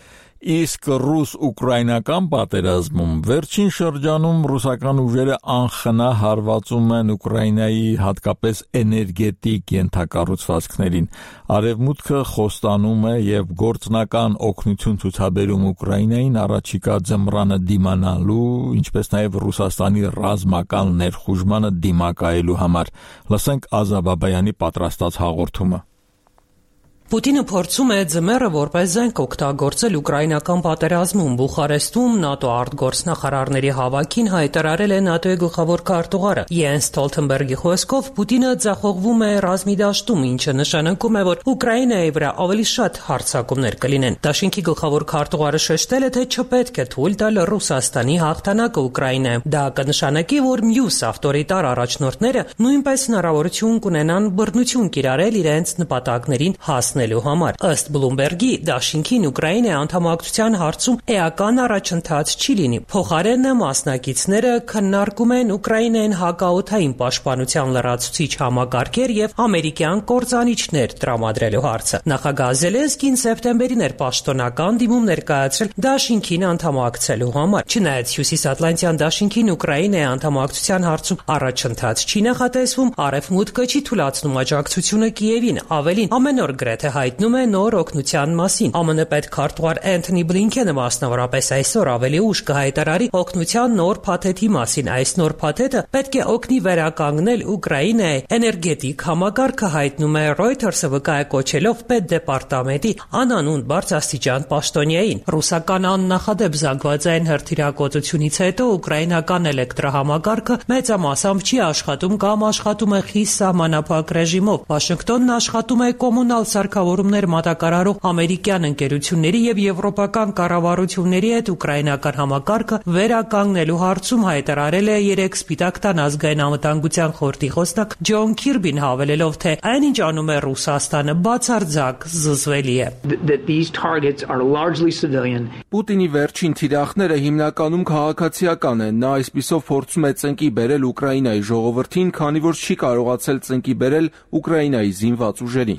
Speaker 1: իսկ ռուս-ուկրաինական պատերազմում վերջին շրջանում ռուսական ուժերը անխնա հարվածում են Ուկրաինայի հատկապես էներգետիկ ենթակառուցվածքներին։ Արևմուտքը խոստանում է եւ գործնական օգնություն ցուցաբերում Ուկրաինային առաջիկա ձմռանը դիմանալու, ինչպես նաեւ Ռուսաստանի ռազմական ներխուժմանը դիմակայելու համար։ Լսենք Ազա Բաբայանի պատրաստած հաղորդումը։
Speaker 6: Պուտինը փորձում է ձմեռը որպես զենք օգտագործել ուկրաինական պատերազմում։ Բուխարեստում ՆԱՏՕ արտգործնախարարների հավաքին հայտարարել է ՆԱՏՕ-ի գլխավոր քարտուղարը Յենս Ստոլթենբերգի խոսքով Պուտինը ձախողվում է ռազմի դաշտում, ինչը նշանակում է, որ Ուկրաինայի վրա ավելի շատ հարձակումներ կլինեն։ Դաշինքի գլխավոր քարտուղարը շեշտել է, թե չպետք է թույլ տալ Ռուսաստանի հաղթանակը Ուկրաինայում։ Դա կնշանակի, որ մյուս ավտորիտար առաջնորդները նույնպես հնարավորություն կունենան բռնություն կիրառել իրենց նպատակներին հաս համար։ Ըստ Բլումբերգի, դաշինքին Ուկրաինայի անդամակցության հարցում էական առաջընթաց չի լինի։ Փոխարենը մասնակիցները քննարկում են Ուկրաինային հակաօդային պաշտպանության լրացուցիչ համակարգեր եւ ամերիկյան կործանիչներ տրամադրելու հարցը։ Նախագահ Զելենսկին սեպտեմբերին էր պաշտոնական դիմում ներկայացրել դաշինքին անդամակցելու համար։ Չնայած Հյուսիսատլանտյան դաշինքին Ուկրաինայի անդամակցության հարցում առաջընթաց չի նախատեսվում, Արևմուտքը չի թույլատրում աջակցությունը Կիևին, ավելին ամեն օր գրեթե հայտնում է նոր օգնության մասին։ ԱՄՆ պետքարտուղար Էնթոնի Բլինքենը մասնավորապես այսօր ավելի ուշ կհայտարարի օգնության նոր փաթեթի մասին։ Այս նոր փաթեթը պետք է օգնի վերականգնել Ուկրաինայի էներգետիկ համակարգը, հայտնում է Reuters-ը վկայակոչելով պետդեպարտամենտի անանուն բարձրաստիճան պաշտոնյային։ Ռուսական աննախադեպ զանգվածային հրթիռակոծությունից հետո ուկրաինական էլեկտրահամակարգը մեծամասամբ չի աշխատում կամ աշխատում է խիստ սահմանափակ ռեժիմով։ Վաշինգտոնն աշխատում է կոմունալ սարքավորումներ մատակարարող ամերիկյան ընկերությունների եւ եվրոպական կառավարությունների հետ ուկրաինական համակարգը վերականգնելու հարցում հայտարարել է երեք Սպիտակ տան ազգային անվտանգության խորհրդի խոսնակ Ջոն Քիրբին, հավելելով, թե այնինչ անում է Ռուսաստանը բացարձակ զզվելի է։
Speaker 17: Պուտինի վերջին թիրախները հիմնականում քաղաքացիական են։ Նա այսպիսով փորձում է ծնկի բերել Ուկրաինայի ժողովրդին, քանի որ չի կարողացել ծնկի բերել Ուկրաինայի զինված ուժերին։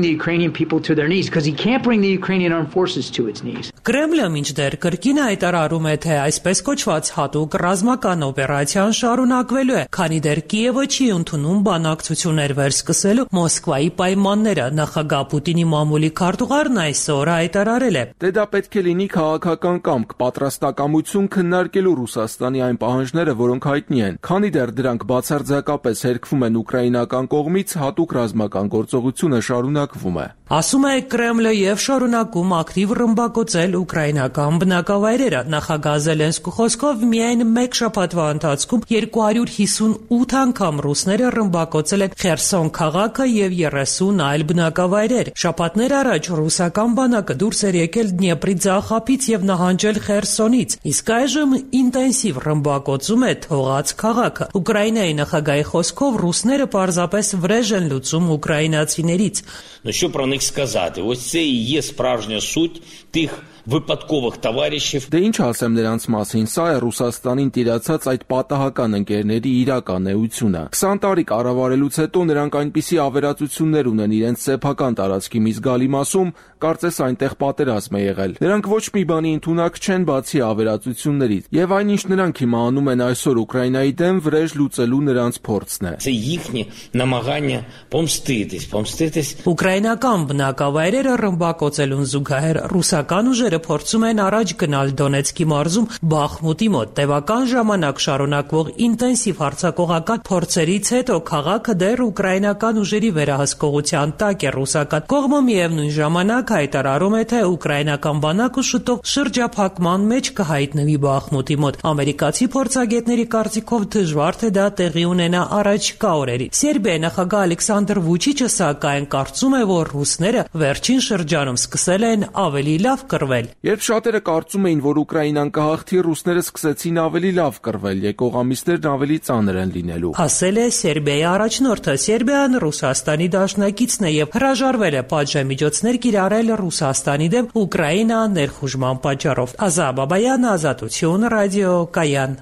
Speaker 7: bring the Ukrainian people to their knees because he can't bring the Ukrainian armed forces to its knees.
Speaker 6: Կրեմլը մինչդեռ կրկին հայտարարում է, թե այսպես կոչված հատուկ ռազմական օպերացիան շարունակվելու է, քանի դեռ Կիևը չի ընդունում բանակցություններ վերսկսելու Մոսկվայի պայմանները։ Նախագահ Պուտինի մամուլի քարտուղարն այսօր հայտարարել է.
Speaker 17: Դե դա պետք է լինի քաղաքական կամք, պատրաստակամություն քննարկելու Ռուսաստանի այն պահանջները, որոնք հայտնի են, քանի դեռ դրանք բացարձակապես հերքվում են ուկրաինական կողմից, հատուկ ռազմական գործողությունը շարունակվում է։
Speaker 6: Ասում է Կրեմլը եւ շարունակում ակտիվ ռմբակոծել ուկրաինական բնակավայրերը։ Նախագահ Զելենսկու խոսքով միայն մեկ շաբաթվա ընթացքում երկու հարյուր հիսունութ անգամ ռուսները ռմբակոծել են Խերսոն քաղաքը եւ երեսուն այլ բնակավայրեր։ Շաբաթներ առաջ ռուսական բանակը դուրս էր եկել Դնեպրի ձախապից եւ նահանջել Խերսոնից, իսկ այժմ ինտենսիվ ռմբակոծում է թողած քաղաքը։ Ուկրաինայի նախագահի խոսքով ռուսները պարզապես վրեժ են լուծում ուկրաինացիներից։
Speaker 8: Ну що про них сказати? Ось це і є справжня суть тих վիպատկովых товарищев.
Speaker 17: Դե ինչ ասեմ նրանց մասին, սա է Ռուսաստանին տիրացած այդ պատահական ընկերների իրական էությունը։ քսան տարի կառավարելուց հետո նրանք այնպիսի ավերածություններ ունեն իրենց սեփական տարածքի մի զգալի մասում, կարծես այնտեղ պատերազմ է եղել։ Նրանք ոչ մի բանի ընդունակ չեն բացի ավերածություններից, եւ այնինչ նրանք հիմա անում են այսօր Ուկրաինայի դեմ վրեժ լուծելու նրանց փորձն է։
Speaker 8: Це їхні намагання помститись, помститись.
Speaker 6: Ուկրաինական բնակավայրերը ռմբակոծելուն զուգահեռ ռուսական ուժերը փորձում են առաջ գնալ Դոնեցկի մարզում Բախմուտի մոտ։ Տևական ժամանակ շարունակվող ինտենսիվ հարձակողական փորձերից հետո քաղաքը դեռ ուկրաինական ուժերի վերահսկողության տակ է։ Ռուսական կողմը միևնույն ժամանակ հայտարարում է, թե ուկրաինական բանակը շուտով շրջափակման մեջ կհայտնվի Բախմուտի մոտ։ Ամերիկացի փորձագետների կարծիքով դժվար թե դա տեղի ունենա առաջիկա օրերին։ Սերբիայի նախագահ Ալեքսանդր Վուչիչը սակայն կարծում է, որ ռուսները վերջին շրջանում սկսել են ավելի լավ կռվել։
Speaker 17: Երբ շատերը կարծում էին, որ Ուկրաինան կհաղթի, ռուսները սկսեցին ավելի լավ կռվել, եկող ամիսներն ավելի ծանր են լինելու։
Speaker 6: Ասել է Սերբիայի առաջնորդը։ Սերբիան Ռուսաստանի դաշնակիցն է եւ հրաժարվել է պատժամիջոցներ կիրառել Ռուսաստանի դեմ Ուկրաինա ներխուժման պատճառով։ Ազա Բաբայան, Ազատություն, ռադիո Կայան։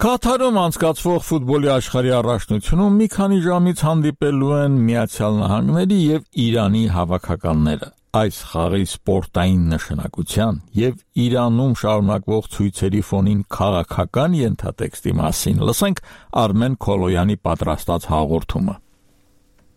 Speaker 1: Կատարում անցկացվող ֆուտբոլի աշխարհի առաջնությունում մի քանի ժամից հանդիպելու են Միացյալ Նահանգների եւ Իրանի հավաքականները։ Այս խաղի սպորտային նշանակության եւ Իրանում շարունակվող ցույցերի ֆոնին քաղաքական ենթատեքստի մասին լսենք Արմեն Քոլոյանի պատրաստած հաղորդումը։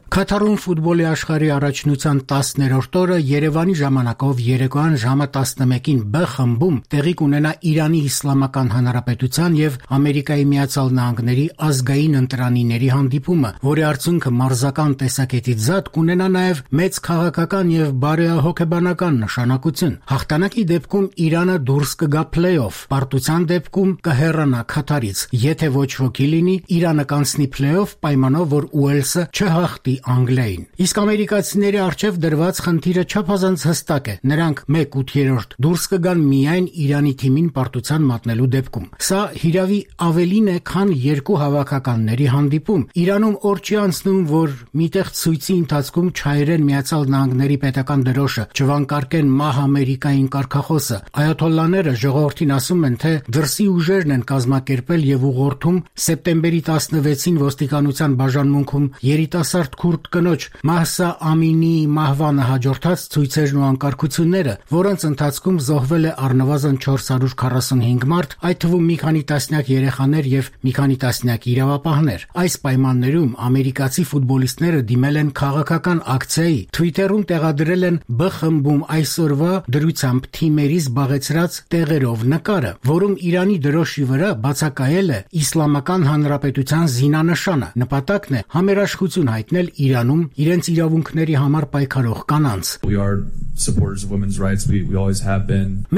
Speaker 10: Կատարում ֆուտբոլի աշխարհի առաջնության տասներորդ օրը Երևանի ժամանակով երեկոյան ժամը տասնմեկին Բ խմբում տեղի կունենա Իրանի Իսլամական Հանրապետության եւ Ամերիկայի Միացյալ Նահանգների ազգային ընտրանիների հանդիպումը, որի արդյունքը մարզական տեսակետից զատ կունենա նաեւ մեծ քաղաքական եւ բարեհոգեբանական նշանակություն։ Հաղթանակի դեպքում Իրանը դուրս կգա փլեյօֆ, պարտության դեպքում կհեռանա Քաթարից։ Եթե ոչ ոքի լինի, Իրանը կանցնի փլեյօֆ պայմանով, որ Ուելսը չհաղթի Անգլիային։ Իսկ ամերիկացիների արչև դրված խնդիրը չափազանց հստակ է։ Նրանք մեկ ութերորդ դուրս կգան միայն Իրանի թիմին պարտության մատնելու դեպքում։ Սա հիրավի ավելին է, քան երկու հավաքականների հանդիպում։ Իրանում օր չի անցնում, որ միտեղ ցույցի ընթացքում չայրեն Միացյալ Նահանգների պետական դրոշը, չվանկարկեն մահ Ամերիկային կարգախոսը։ Այաթոլլաները ժողովրդին ասում են, թե դրսի ուժերն են կազմակերպել եւ ուղղորդում սեպտեմբերի տասնվեցին ոստիկանության բաժանմունքում երիտասարդ քուրդ կնոջ Մահսա Ամինիի մահվանը հաջորդած ցույցերն ու անկարգությունները, որոնց ընթացքում զոհվել է առնվազն չորս հարյուր քառասունհինգ մարդ, այդ թվում մի քանի տասնյակ երեխաներ եւ մի քանի տասնյակ իրավապահներ։ Այս պայմաններում ամերիկացի ֆուտբոլիստները դիմել են քաղաքական ակցիայի, Twitter-ում տեղադրել են Բ խմբում այսօրվա դրությամբ թիմերի զբաղեցրած տեղերով նկարը, որում Իրանի դրոշի վրա բացակայել է Իսլամական Հանրապետության զինանշանը։ Նպատակն է համերաշխություն հայտնել Իրանում իրենց իրավունքների համար պայքարող կանանց։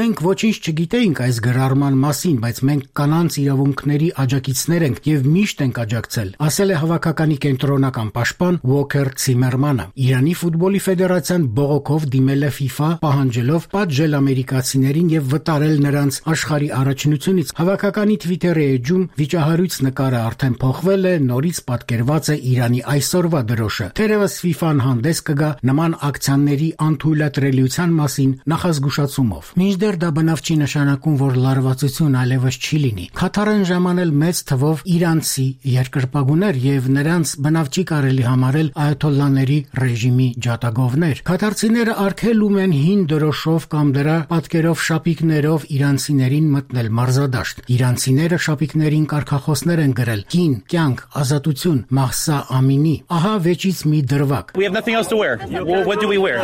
Speaker 10: Մենք ոչինչ չգիտեինք այս գրառման մասին, բայց մենք կանանց իրավունքների աջակիցներ ենք եւ միշտ ենք աջակցել, ասել է հավաքականի կենտրոնական պաշտպան Ուոքեր Ցիմերմանը։ Իրանի ֆուտբոլի ֆեդերացիան բողոքով դիմել է FIFA, պահանջելով պատժել ամերիկացիներին եւ վտարել նրանց աշխարհի առաջնությունից։ Հավաքականի Twitter-ի էջում վիճահարույց նկարը արդեն փոխվել է, նորից պատկերված է Իրանի այսօրվա դրոշը։ Թերևս FIFA-ն հանդես կգա նման ակցիաների անթույլատրելի կարելիության մասին նախազգուշացումով։ Մինչդեռ դա բնավ չի նշանակում, որ լարվածություն այլևս չի լինի։ Քաթարն ժամանել մեծ թվով իրանցի երկրպագուներ եւ նրանց բնավ չի կարելի համարել այաթոլլաների ռեժիմի ջատագովներ։ Քաթարցիները արգելում են հին դրոշով կամ դրա պատկերով շապիկներով իրանցիներին մտնել մարզադաշտ։ Իրանցիները շապիկներին կարգախոսներ են գրել. «Կին, կյանք, ազատություն, Մահսա Ամինի»։ Ահա վեճից մի դրվագ։
Speaker 11: We have nothing else to wear. Well, what do we wear?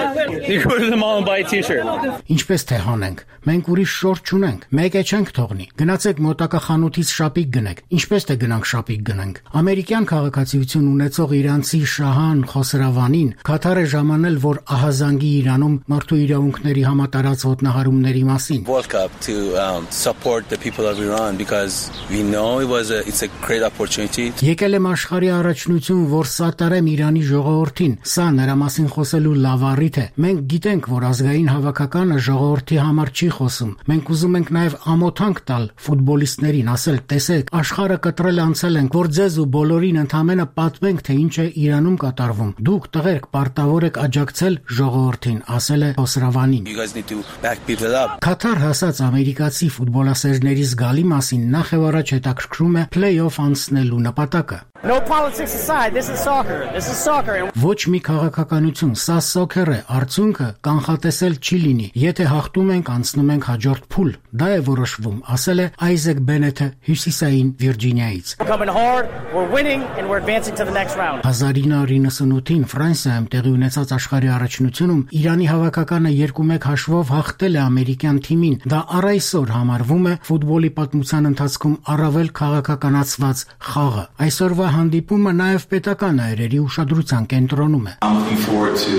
Speaker 11: You go to the mall and buy a t-shirt.
Speaker 10: Ինչպես թե հանենք, մենք ուրիշ շորթ չունենք, մեկ է չենք թողնի։ Գնացեք մոտակա խանութից շապիկ գնեք։ Ինչպես թե գնանք շապիկ գնանք։ Ամերիկյան քաղաքացիություն ունեցող իրանցի Շահան Խոսրավանին Քաթար է ժամանել, որ ահազանգի Իրանում մարդու իրավունքների համատարած ոտնահարումների մասին։
Speaker 12: Woke up to um, support the people of Iran because we know it was a it's a great opportunity.
Speaker 10: Եկել եմ աշխարհի առաջնություն, որ սատարեմ Իրանի ժողովրդին։ Սա նրա մասին խոսելու լավ առիթ է։ Մենք գիտենք, որ ազգային հավաքականը ժողովրդի համար չի խոսում։ Մենք ուզում ենք նաև ամոթանք տալ ֆուտբոլիստներին, ասել՝ տեսեք, աշխարհը կտրել անցել ենք, որ ձեզ ու բոլորին ընդհանրապես պատմենք, թե ինչ է Իրանում կատարվում։ Դուք տղերք պարտավոր եք աջակցել ժողովրդին, ասել է Խոսրավանին։
Speaker 12: You guys need to back people up.
Speaker 10: Քաթար հասած ամերիկացի ֆուտբոլասերների զգալի մասին նախ եւ առաջ հետաքրքրում է play-off անցնելու նպատակը։
Speaker 14: No politics aside, this is soccer. This is soccer.
Speaker 10: Ոչ մի քաղաքականություն, սա սոքեր է, արդյունքը կանխատեսել չի լինի։ Եթե հաղթում ենք, անցնում ենք հաջորդ փուլ։ Դա է որոշվում, ասել է Այզեք Բենեթը Հյուսիսային Վիրջինիայից։
Speaker 14: Coming hard, we're winning and we're advancing to the next round.
Speaker 10: հազար ինը հարյուր նվաթ Ֆրանսիայում տեղի ունեցած աշխարհի առաջնությունում Իրանի հավաքականը երկու մեկ հաշվով հաղթել է ամերիկյան թիմին։ Դա առ այսօր համարվում է ֆուտբոլի պատմության ընթացքում առավել քաղաքականացված խաղը։ Այսօրվա հանդիպումը նաև պետական այրերի ուշադրության կենտրոնում է։
Speaker 16: I'm looking forward to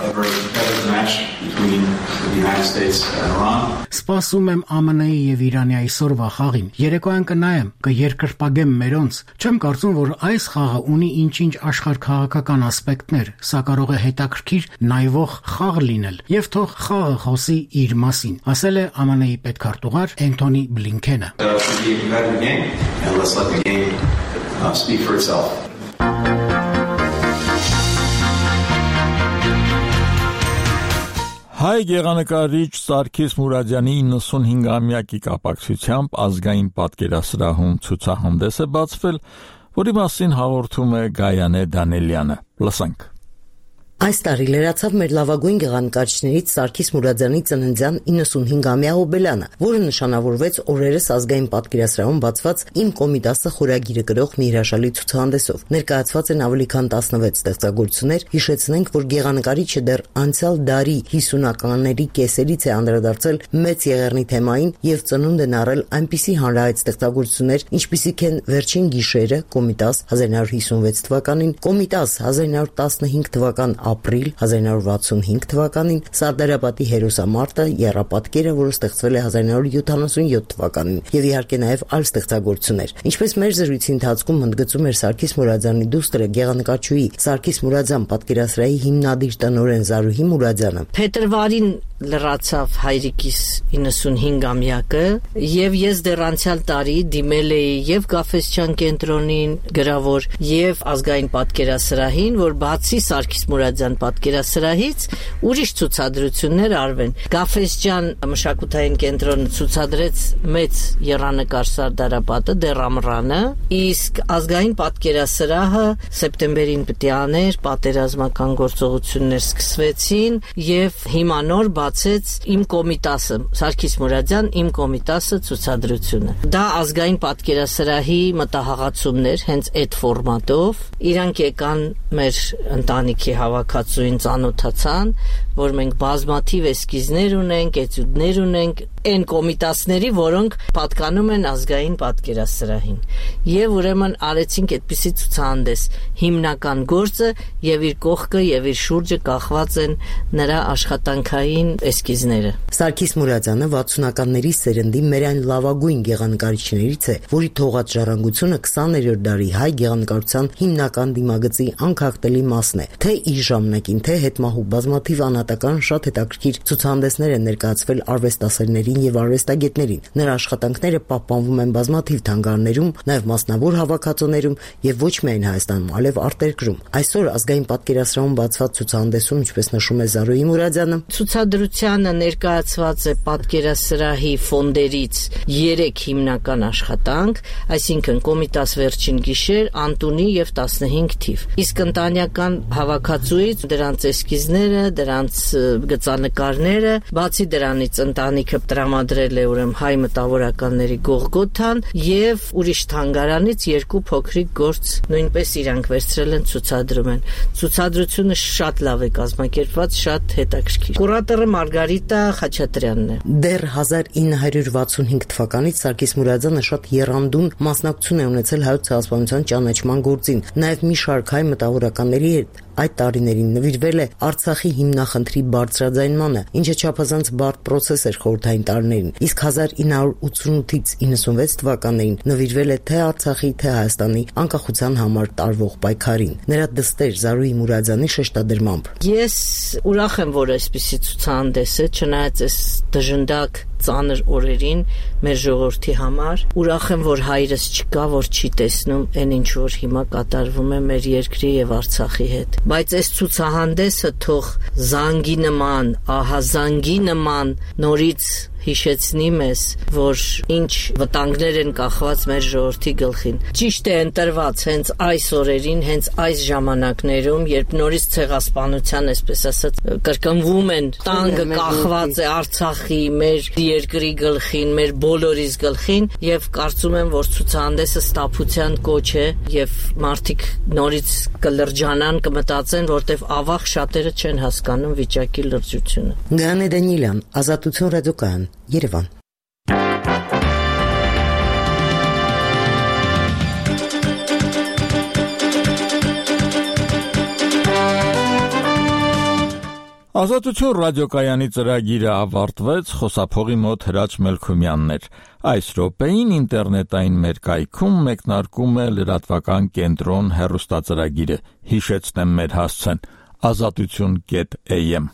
Speaker 16: a very competitive match between the United States and Iran.
Speaker 10: Սպասում եմ ԱՄՆ-ի եւ Իրանի այսօրվա խաղին։ Երեկոյան կնայեմ, կերկրպագեմ մերոնց։ Չեմ կարծում, որ այս խաղը ունի ինչ-ինչ աշխարհքաղաքական ասպեկտներ, սա կարող է հետաքրքիր նայվող խաղ լինել եւ թող խաղը խոսի իր մասին, ասել է ԱՄՆ-ի պետքարտուղար Էնթոնի Բլինքենը։
Speaker 16: Uh, speak for itself.
Speaker 1: Հայ գեղանկարիչ Սարգիս Մուրադյանի իննսունհինգամյակի կապակցությամբ ազգային պատկերասրահում ցուցահանդես է բացվել, որի մասին հաղորդում է Գայանե Դանելյանը։ Լսենք։
Speaker 25: Այս տարի լրացավ մեր լավագույն գեղանկարիչներից Սարգիս Մուրադյանի ծննդյան իննսունհինգամյա հոբելյանը, որը նշանավորվեց օրերս ազգային պատկերասրահում բացված «Իմ Կոմիտասը» խորագիրը կրող մի հրաշալի ցուցահանդեսով։ Ներկայացված են ավելի քան տասնվեց ստեղծագործություններ։ Հիշեցնենք, որ գեղանկարիչը դեռ անցյալ դարի հիսունականների կեսերից է անդրադարձել մեծ եղեռնի թեմային եւ ծնունդ են առել այնպիսի հանրահայտ ստեղծագործություններ, ինչպիսիք են Վերջին գիշերը, Կոմիտաս հազար նույն հարյուր հիսունվեց թվականին, Կոմիտաս հազար նույն հարյուր տասնհինգ թվական ապրիլ հազար նույն հարյուր վաթսունհինգ թվականին, Սարդարապատի հերոսամարտը, Եռապատկերը, որը ստեղծվել է հազար նույն հարյուր յոթանասունյոթ թվականին, եւ իհարկե նաեւ այլ ստեղծագործություններ։ Ինչպես մեր զրույցի ընթացքում ընդգծում էր Սարգիս Մուրադյանի դուստրը գեղանկարչուհի Սարգիս Մուրադյան պատկերասրահի հիմնադիր տնօրեն Զարուհի Մուրադյանը,
Speaker 26: փետրվարին լրացավ հայրիկիս իննսունհինգամյակը եւ ես դեռ անցյալ տարի դիմել էի եւ Գաֆեսչյան կենտրոնին գրավոր եւ ազգային պատկերասրահին, որ բացի Սարգիս Մուրադյան պատկերասրահից ուրիշ ցուցադրություններ արվեն։ Գաֆեսչյան մշակութային կենտրոնը ցուցադրեց մեծ եռանկար Սարդարապատը դերամռանը, իսկ ազգային պատկերասրահը սեպտեմբերին պիտի աներ, պատերազմական գործողություններ սկսվեցին եւ հիմա նոր բացեց Իմ Կոմիտասը, Սարգիս Մուրադյան Իմ Կոմիտասը ցուցադրությունը։ Դա ազգային պատկերասրահի մտահղացումներ հենց այդ ֆորմատով։ Իրանք եկան մեր ընտանիքի հավաքածուին ծանոթացան, որ մենք բազմաթիվ էսկիզներ ունենք, էտյուդներ ունենք, այն կոմիտասների, որոնք պատկանում են ազգային պատկերասրահին։ Եվ ուրեմն արեցինք այդպիսի ցուցահանդես։ Հիմնական գործը եւ իր կողքը եւ իր շուրջը կախված են նրա աշխատանքային էսքիզները։
Speaker 25: Սարգիս Մուրադյանը վաթսունականների սերնդի մեր այն լավագույն գեղանկարիչներից է, որի թողած ժառանգությունը քսաներորդ դարի հայ գեղանկարության հիմնական դիմագծի անքակտելի մասն է։ Թե իր ժամանակին, թե հետմահու բազմաթիվ անհատական շատ հետաքրքիր ցուցահանդեսներ են ներկայացվել արվեստասերներին եւ արվեստագետներին։ Նրա աշխատանքները պահպանվում են բազմաթիվ թանգարաններում, նաեւ մասնավոր հավաքածուներում եւ ոչ միայն Հայաստանում, այլև արտերկրում։ Այսօր ազգային պատկերասրահում բացված ցուցահանդեսում, ինչպես նշում է Զարուհի Մուրադյանը,
Speaker 26: ցուցադրությանը ներկայացված է պատկերասրահի ֆոնդերից երեք հիմնական աշխատանք, այսինքն Կոմիտաս վերջին գիշեր, Անտունի եւ տասնհինգ թիվ։ Իսկ ընտանեկան հավաքածուից դրանց էսքիզները, դրանց գծանկարները, բացի դրանից ընտանիքը տրամադրել է ուրեմն հայ մտավորականների Գողգոթան եւ ուրիշ թանգարանից երկու փոքրիկ գործ նույնպես իրանք վերցրել են ցուցադրում են։ Ցուցադրությունը շատ լավ է կազմակերպված, շատ հետաքրքիր։ Կուրատորը Մարգարիտա Խաչատրյանն է։
Speaker 25: Դեռ հազար ինը հարյուր վաթսունհինգ թվականից Սարգիս Մուրադյանը շատ եռանդուն մասնակցություն է ունեցել հայոց ցեղասպանության ճանաչման գործին, նաեւ մի շարք հայ մտավորականների հետ այդ տարիներին նվիրվել է Արցախի հիմնախնդրի բարձրաձայնմանը, ինչը չափազանց բարդ պրոցես էր խորհրդային տարիներին, իսկ հազար ինը հարյուր ութսունութից իննսունվեց թվականներին նվիրվել է թե Արցախի, թե Հայաստանի անկախության համար տարվող պայքարին։ Նրա դստեր Զարուհի Մուրադյանի շեշտադրմամբ.
Speaker 26: Ես ուրախ եմ, որ այսպիսի ցուցահանդես է, չնայած այս դժնդակ ծանր օրերին մեր ժողովրդի համար, ուրախ եմ, որ հայրս չկա, որ չի տեսնում այն ինչ որ հիմա կատարվում է մեր երկրի եւ Արցախի հետ։ Բայց այս ցուցահանդեսը թող զանգի նման, ահա զանգի նման նորից հիշեցնի մեզ, որ ինչ վտանգներ են կախված մեր ժողովրդի գլխին։ Ճիշտ է ընտրված հենց այս օրերին, հենց այս ժամանակներում, երբ նորից ցեղասպանության, այսպես ասած, կրկնվում են, տանգը կախված է Արցախի, մեր երկրի գլխին, մեր բոլորիս գլխին, եւ կարծում եմ, որ ցուցահանդեսը ստապության կոչ է եւ մարդիկ նորից կլրջանան, կմտածեն, որտեվ ավաղ շատերը չեն հասկանում վիճակի լրջությունը։
Speaker 25: Գանե Դանիելյան, Ազատություն ռադիոկայան, Երևան։
Speaker 1: Ազատություն ռադիոկայանի ծրագիրը ավարտվեց, խոսափողի մոտ Հրաչ Մելքումյանն էր։ Այս րոպեին ինտերնետային մեր կայքում մեկնարկում է լրատվական կենտրոն հեռուստածրագիրը։ Հիշեցնեմ մեր հասցեն՝ ազատություն կետ am